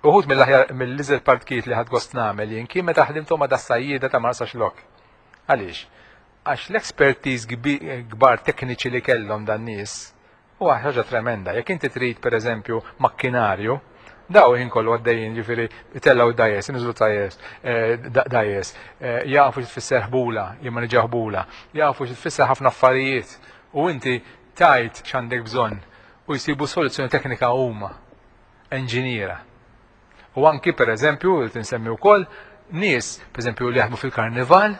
uħud mill-aħjar mill-iżel partkijiet li ħadd gost nagħmel jien kien meta ħdimthom ma' das-sajjieda ta' Marsa Xlokk. Għaliex? Għax l-expertise kbar tekniċi li kellhom dan nies huwa ħaġa tremenda. Jekk inti trid pereżempju makkinarju, daw ħin kollu għaddejjin ġifieri itellgħu dajes, inżlu dajes, dajes, jafu xi tfisser ħbula, jimmaniġġjaw ħbula, jafu xi tfisser ħafna affarijiet u inti tajt x'għandek bżonn u jsibu soluzzjoni teknika huma, enġiniera. U anki per eżempju, tinsemmi wkoll nies, per eżempju, li jaħdmu fil-karnival,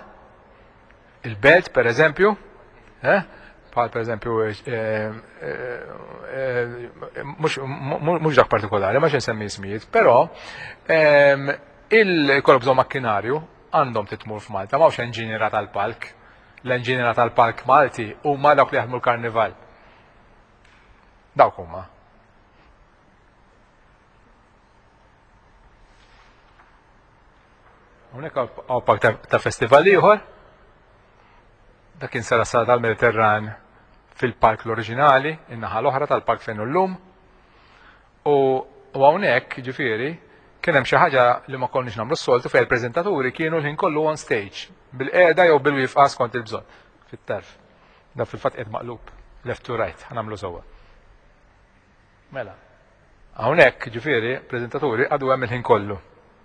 il-belt per eżempju, bħal per eżempju, mhux dak partikolari, ma xi nsemmi ismijiet, però il-kollok bżonn makkinarju għandhom titmur f'Malta, m'hawnx enġiniera tal-palk. L-enġiniera tal-palk Malti huma dawk li jaħdmu l-karnival. Dawk huma. Hawnhekk hawn palk ta' festival ieħor. Dak kien sara sala tal-Mediterran fil-park l-oriġinali, in-naħa l-oħra tal-park fejn llum. U hawnhekk, ġifieri, kien hemm xi ħaġa li ma konniex nagħmlu s-soltu fejn il-preżentaturi kienu l-ħin kollu on stage, bil-qiegħda jew bil-wifqa skont il-bżonn, fit-tarf. Da fil-fatt qiegħed maqlub, left to right, ħa nagħmlu sewwa. Mela. Hawnhekk, ġifieri, preżentaturi għadu hemm il-ħin kollu.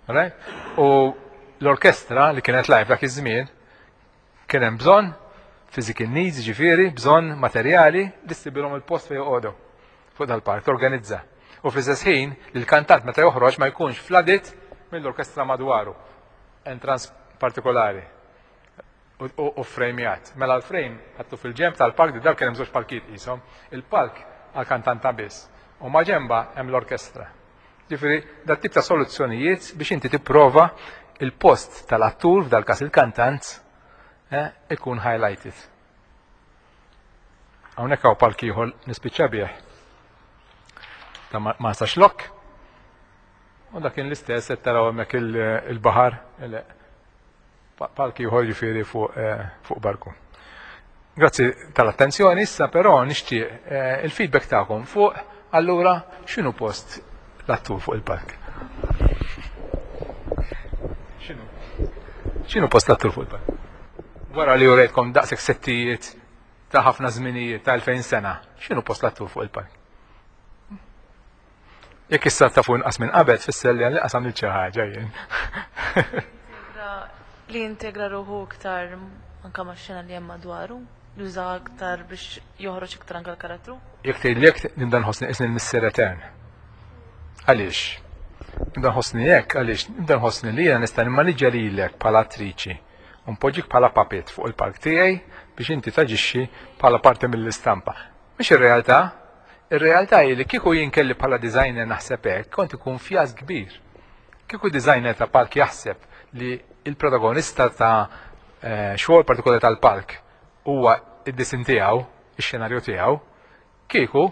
Right? U l-orkestra li kienet live dak iż-żmien kien hemm bżonn physical needs, ġifieri, bżonn materjali li ssibilhom il-post fejn joqogħdu fuq dal-park, torganizza. U fl-istess ħin li l-kantant meta joħroġ ma jkunx flooded mill-orkestra madwaru. Entrance partikolari u frejmjat. Mela l-frame ħattu fil-ġemb tal-palk, di kien hemm żewġ palkijiet qishom, il-palk għal-kantanta biss. U ma ġemba hemm l-orkestra. Ġifieri, dat tip ta' soluzzjonijiet biex inti tipprova il-post tal-attur, f'dal każ il-kantant, eh, ikun highlighted. Hawnhekk hawn palk ieħor nispiċċa bih ta' Marsaxlokk. U dak kien l-istess qed taraw hemmhekk il-baħar, palk ieħor ġifieri fuq eh, fuq barku. Grazzi tal-attenzjoni, issa però nixtieq eh, il-feedback tagħkom fuq allura x'inhu post l-attur fuq il-palk. X'inhu? X'inhu post l-attur fuq il-palk? Wara li urejtkom daqshekk settijiet ta' ħafna żminijiet ta' elfejn sena, x'inhu post l-attur fuq il-palk? Jekk issa tafu inqas minn qabel tfisser li għalli qasam xi ħaġa jien. Li jintegra ruħu iktar anka max-xena li hemm madwaru, juża aktar biex joħroġ iktar anka l-karattru. Jekk tgħidli hekk nibda nħossni qisni l-missier etern. Għaliex? Nibda nħossni hekk għaliex nibda nħossni li jiena nista' nimmaniġġja lilek bħala attriċi u npoġġik bħala puppet fuq il-palk tiegħi biex inti taġixxi bħala parti mill-istampa. Mhix ir-realtà. Ir-realtà hi li kieku jien kelli bħala designer naħseb hekk, kont ikun fjask kbir. Kieku designer ta' palk jaħseb li il-protagonista ta' eh, xogħol partikolari tal-palk huwa id-disin tiegħu, ix-xenarju tiegħu, kieku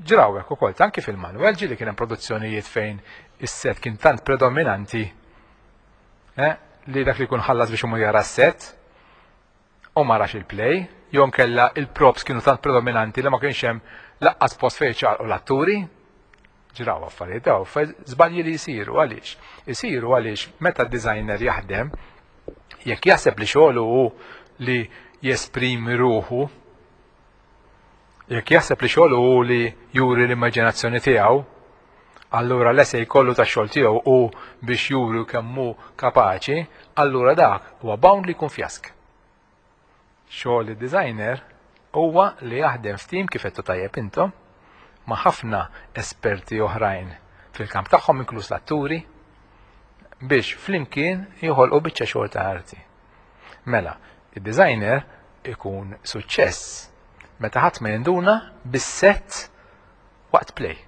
ġraw hekk ukoll anki fil-Manoel ġieli kien hemm produzzjonijiet fejn is-set kien tant predominanti eh, li dak li jkun ħallas biex imur jara s-set u ma rax il-play, jew kella il-props kienu tant predominanti li ma kienx hemm laqqas post fejn ċaqalqu l-atturi. Ġraw affarijiet daw, żbalji li jsiru għaliex. Isiru għaliex meta d-designer jaħdem, jekk jaħseb li xogħlu hu li jesprimi ruħu, jekk jaħseb li xogħlu hu li juri l-immaġinazzjoni tiegħu, allura l-essay kollu ta' xogħol tiegħu hu biex juri kemm hu kapaċi, allura dak huwa bound li jkun fjask. Xogħol id-designer huwa li jaħdem f'tim kif qed tajjeb intom ma' ħafna esperti oħrajn fil-kamp tagħhom, inkluż l-atturi, biex flimkien joħolqu biċċa xogħol ta' arti. Mela, id-designer ikun suċċess meta ħadd ma jinduna bis-set waqt play.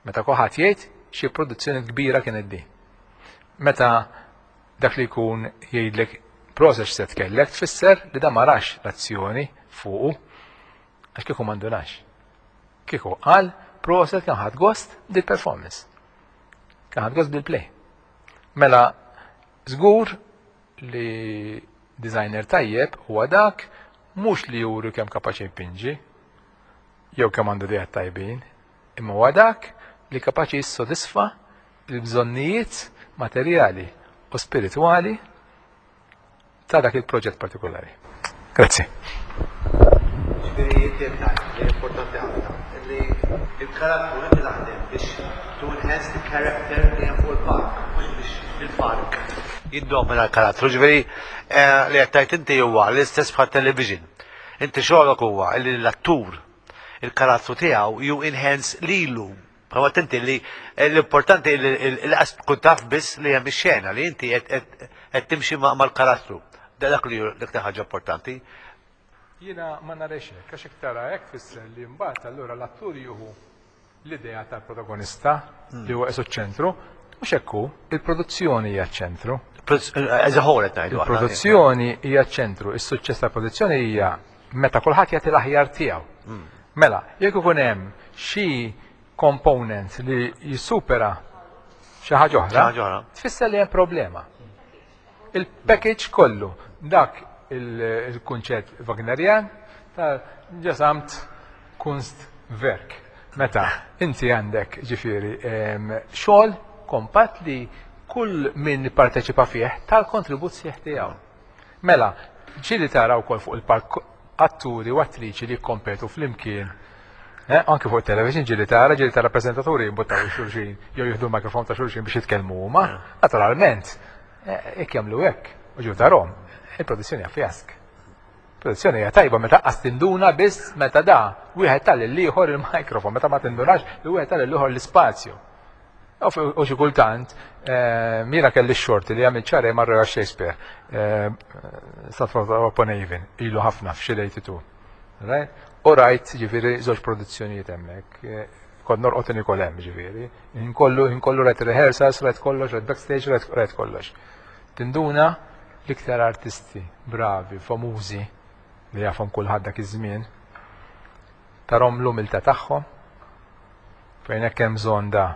Meta kulħadd jgħid xi produzzjoni kbira kienet di. Meta dak li jkun jgħidlek proset set kellek, tfisser li da ma rax l-azzjoni fuqu, għax kieku m'indunax. Kieku qal proset kien ħadd gost bil-performance. Kien ħadd gost bil-play. Mela, żgur li designer tajjeb huwa dak mhux li juri kemm kapaċi jpinġi jew kemm għandu ideat tajbin, imma huwa dak li kapaċi jissodisfa l-bżonnijiet materjali u spiritwali ta' dak il-proġett partikolari. Grazzi. Ġifieri li importanti ħafna li il-karattru inti taħdem biex to enhance the character li hemm fuq il-palk, mhux biex il-palk jiddomina l-karattru. Ġifieri eh, li qed tgħid inti huwa l-istess bħal television. Inti xogħolok huwa li l-attur il-karattru tiegħu you enhance lilu. Bħalma inti li l-importanti li l-qas tkun taf biss li hemm ix-xena li inti qed timxi mal-karattru. Dak li l-iktar ħaġa importanti. Jiena ma narax hekk, għax hekk tara hekk fisser li mbagħad allura l-attur jieħu l-idea tal-protagonista li huwa qisu ċentru, mhux hekk hu, il-produzzjoni hija ċentru. As a whole qed ngħidu. Il-produzzjoni hija ċentru, is-suċċess tal-produzzjoni hija meta kulħadd jagħti l-aħjar tiegħu. Mela, jekk ikun hemm xi component li jissupera xi ħaġa oħra, tfisser li hemm problema. Il-package kollu, dak il-kunċett Wagnerian ta' Gesamtkunstwerk. Meta inti għandek ġifieri xogħol kompat li kull min parteċipa fih tal-kontribut sħiħ tiegħu. Mela, ġieli tara wkoll fuq il-palk atturi u attriċi li kompetu flimkien. Eh, anke fuq television ġieli tara, ġieli tara prezentaturi jimbuttaw xulxin, jew jieħdu l-mikrofon ta' xulxin biex jitkellmu huma. Naturalment, eh, jekk jagħmlu hekk, u ġew tarhom, il-produzzjoni hija fjask. Produzzjoni hija tajba meta qas tinduna biss meta da wieħed tal l-ieħor il-mikrofon, meta ma tindunax li wieħed tal l-ieħor l-ispazju. U xi kultant, jiena kelli x-xorti li għamilt xahrejn ma' Royal Shakespeare, Stratford upon Avon, ilu ħafna f'xi eighty-two. Right? U rajt, ġifieri, żewġ produzzjonijiet hemmhekk. Kont norqod nikol hemm, ġifieri. Inkollu inkollu rajt rehearsals, rajt kollox, rajt backstage, rajt, rajt kollox. Tinduna l-iktar artisti bravi, famużi, li jafhom kulħadd dak iż-żmien, tarahom l-umiltà tagħhom, fejn hekk hemm bżonn da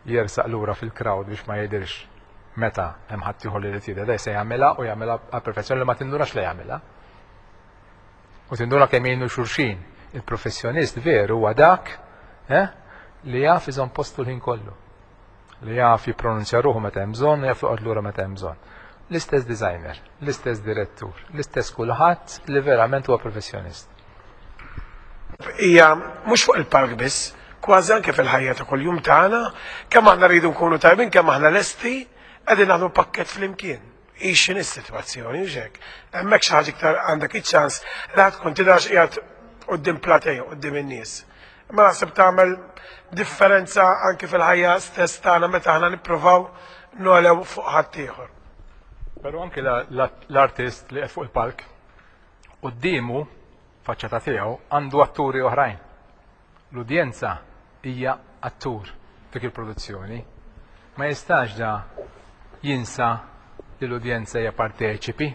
jersaq lura fil-crowd biex ma jidirx meta hemm ħadd ieħor li jrid da se jagħmilha u jagħmilha għal perfezzjoni li ma tindunax li jagħmilha. U tinduna kemm jgħinu xulxin. Il-professjonist veru huwa dak eh, li jaf iżomm postu l-ħin kollu. Li jaf jippronunzja ruħu meta hemm bżonn u jaf joqgħod lura meta hemm bżonn. L-istess designer, l-istess direttur, l-istess kulħadd li verament huwa professjonist. Hija mhux fuq il-palk biss, kważi anke fil-ħajja ta' kuljum tagħna, kemm aħna rridu nkunu tajbin, kemm aħna lesti, qegħdin naħdmu pakkett flimkien. Ixin is-sitwazzjoni, hux hekk. Hemmhekk xi ħaġa iktar għandek iċ-ċans li ħadd tkun tidhrax qiegħed quddiem platea, quddiem in-nies. Imma naħseb tagħmel differenza anke fil-ħajja stess tagħna meta aħna nippruvaw nolew fuq ħadd ieħor. Però anke l-artist li qed fuq il-palk quddiemu faċċata tiegħu għandu atturi oħrajn. L-udjenza hija attur dik il-produzzjoni. Ma jistax da jinsa li l-udjenza hija parteċipi.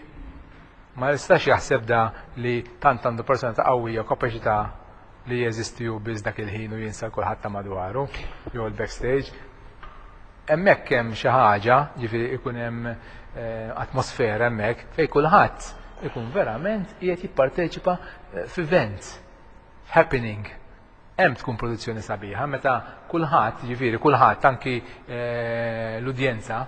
Ma jistax jaħseb da li tant għandu personalità qawwija u kapaċità li jeżisti hu biss dak il-ħin u jinsa kulħadd ta' madwaru jew il-backstage. Hemmhekk hemm xi ħaġa, ġifieri ikun hemm eh, atmosfera hemmhekk fejn kulħadd ikun verament qiegħed jipparteċipa eh, f'event, happening. Hemm tkun produzzjoni sabiħa meta kulħadd, ġifieri kulħadd anki eh, l-udjenza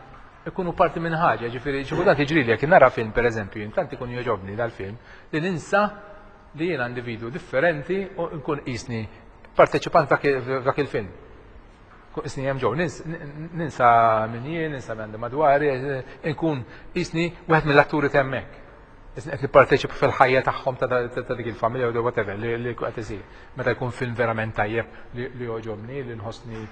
ikunu parti minn ħaġa, ġifieri xi kultant jiġri li jekk nara film, pereżempju, intant ikun jogħġobni dal-film li ninsa li jiena individu differenti u nkun qisni parteċipant f'dak il-film. Qisni hemm ġew, ninsa min jien, ninsa min għandi madwari, nkun qisni wieħed mill-atturi hemmhekk. Qisni qed nipparteċipa fil-ħajja tagħhom ta' dik il-familja u whatever li qed isir. Meta jkun film verament tajjeb li jogħġobni, li nħossni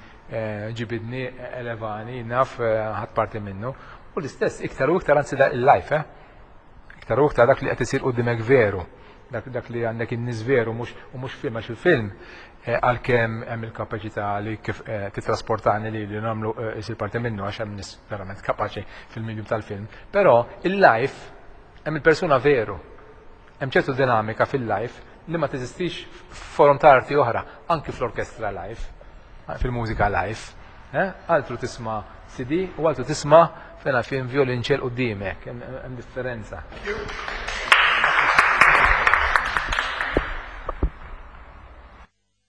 ġibidni, elevani, naf ħadd parti minnu. U l-istess iktar u iktar anzi il-live, eh? Iktar u iktar dak li qed isir quddiemek veru. Dak, dak li għandek in-nies veru mhux u mhux film, għax il-film għalkemm hemm il-kapaċità li kif titrasportani li li nagħmlu isir parti minnu għax hemm nies verament kapaċi fil-medium tal-film. Però il-live hemm il-persuna veru. Hemm ċertu dinamika fil-live li ma teżistix f'forom ta' arti oħra, anki fl-orkestra live, fil-mużika live. Eh? Altru tisma' C D u altru tisma' fejn film violinċel qudiemek, hemm differenza.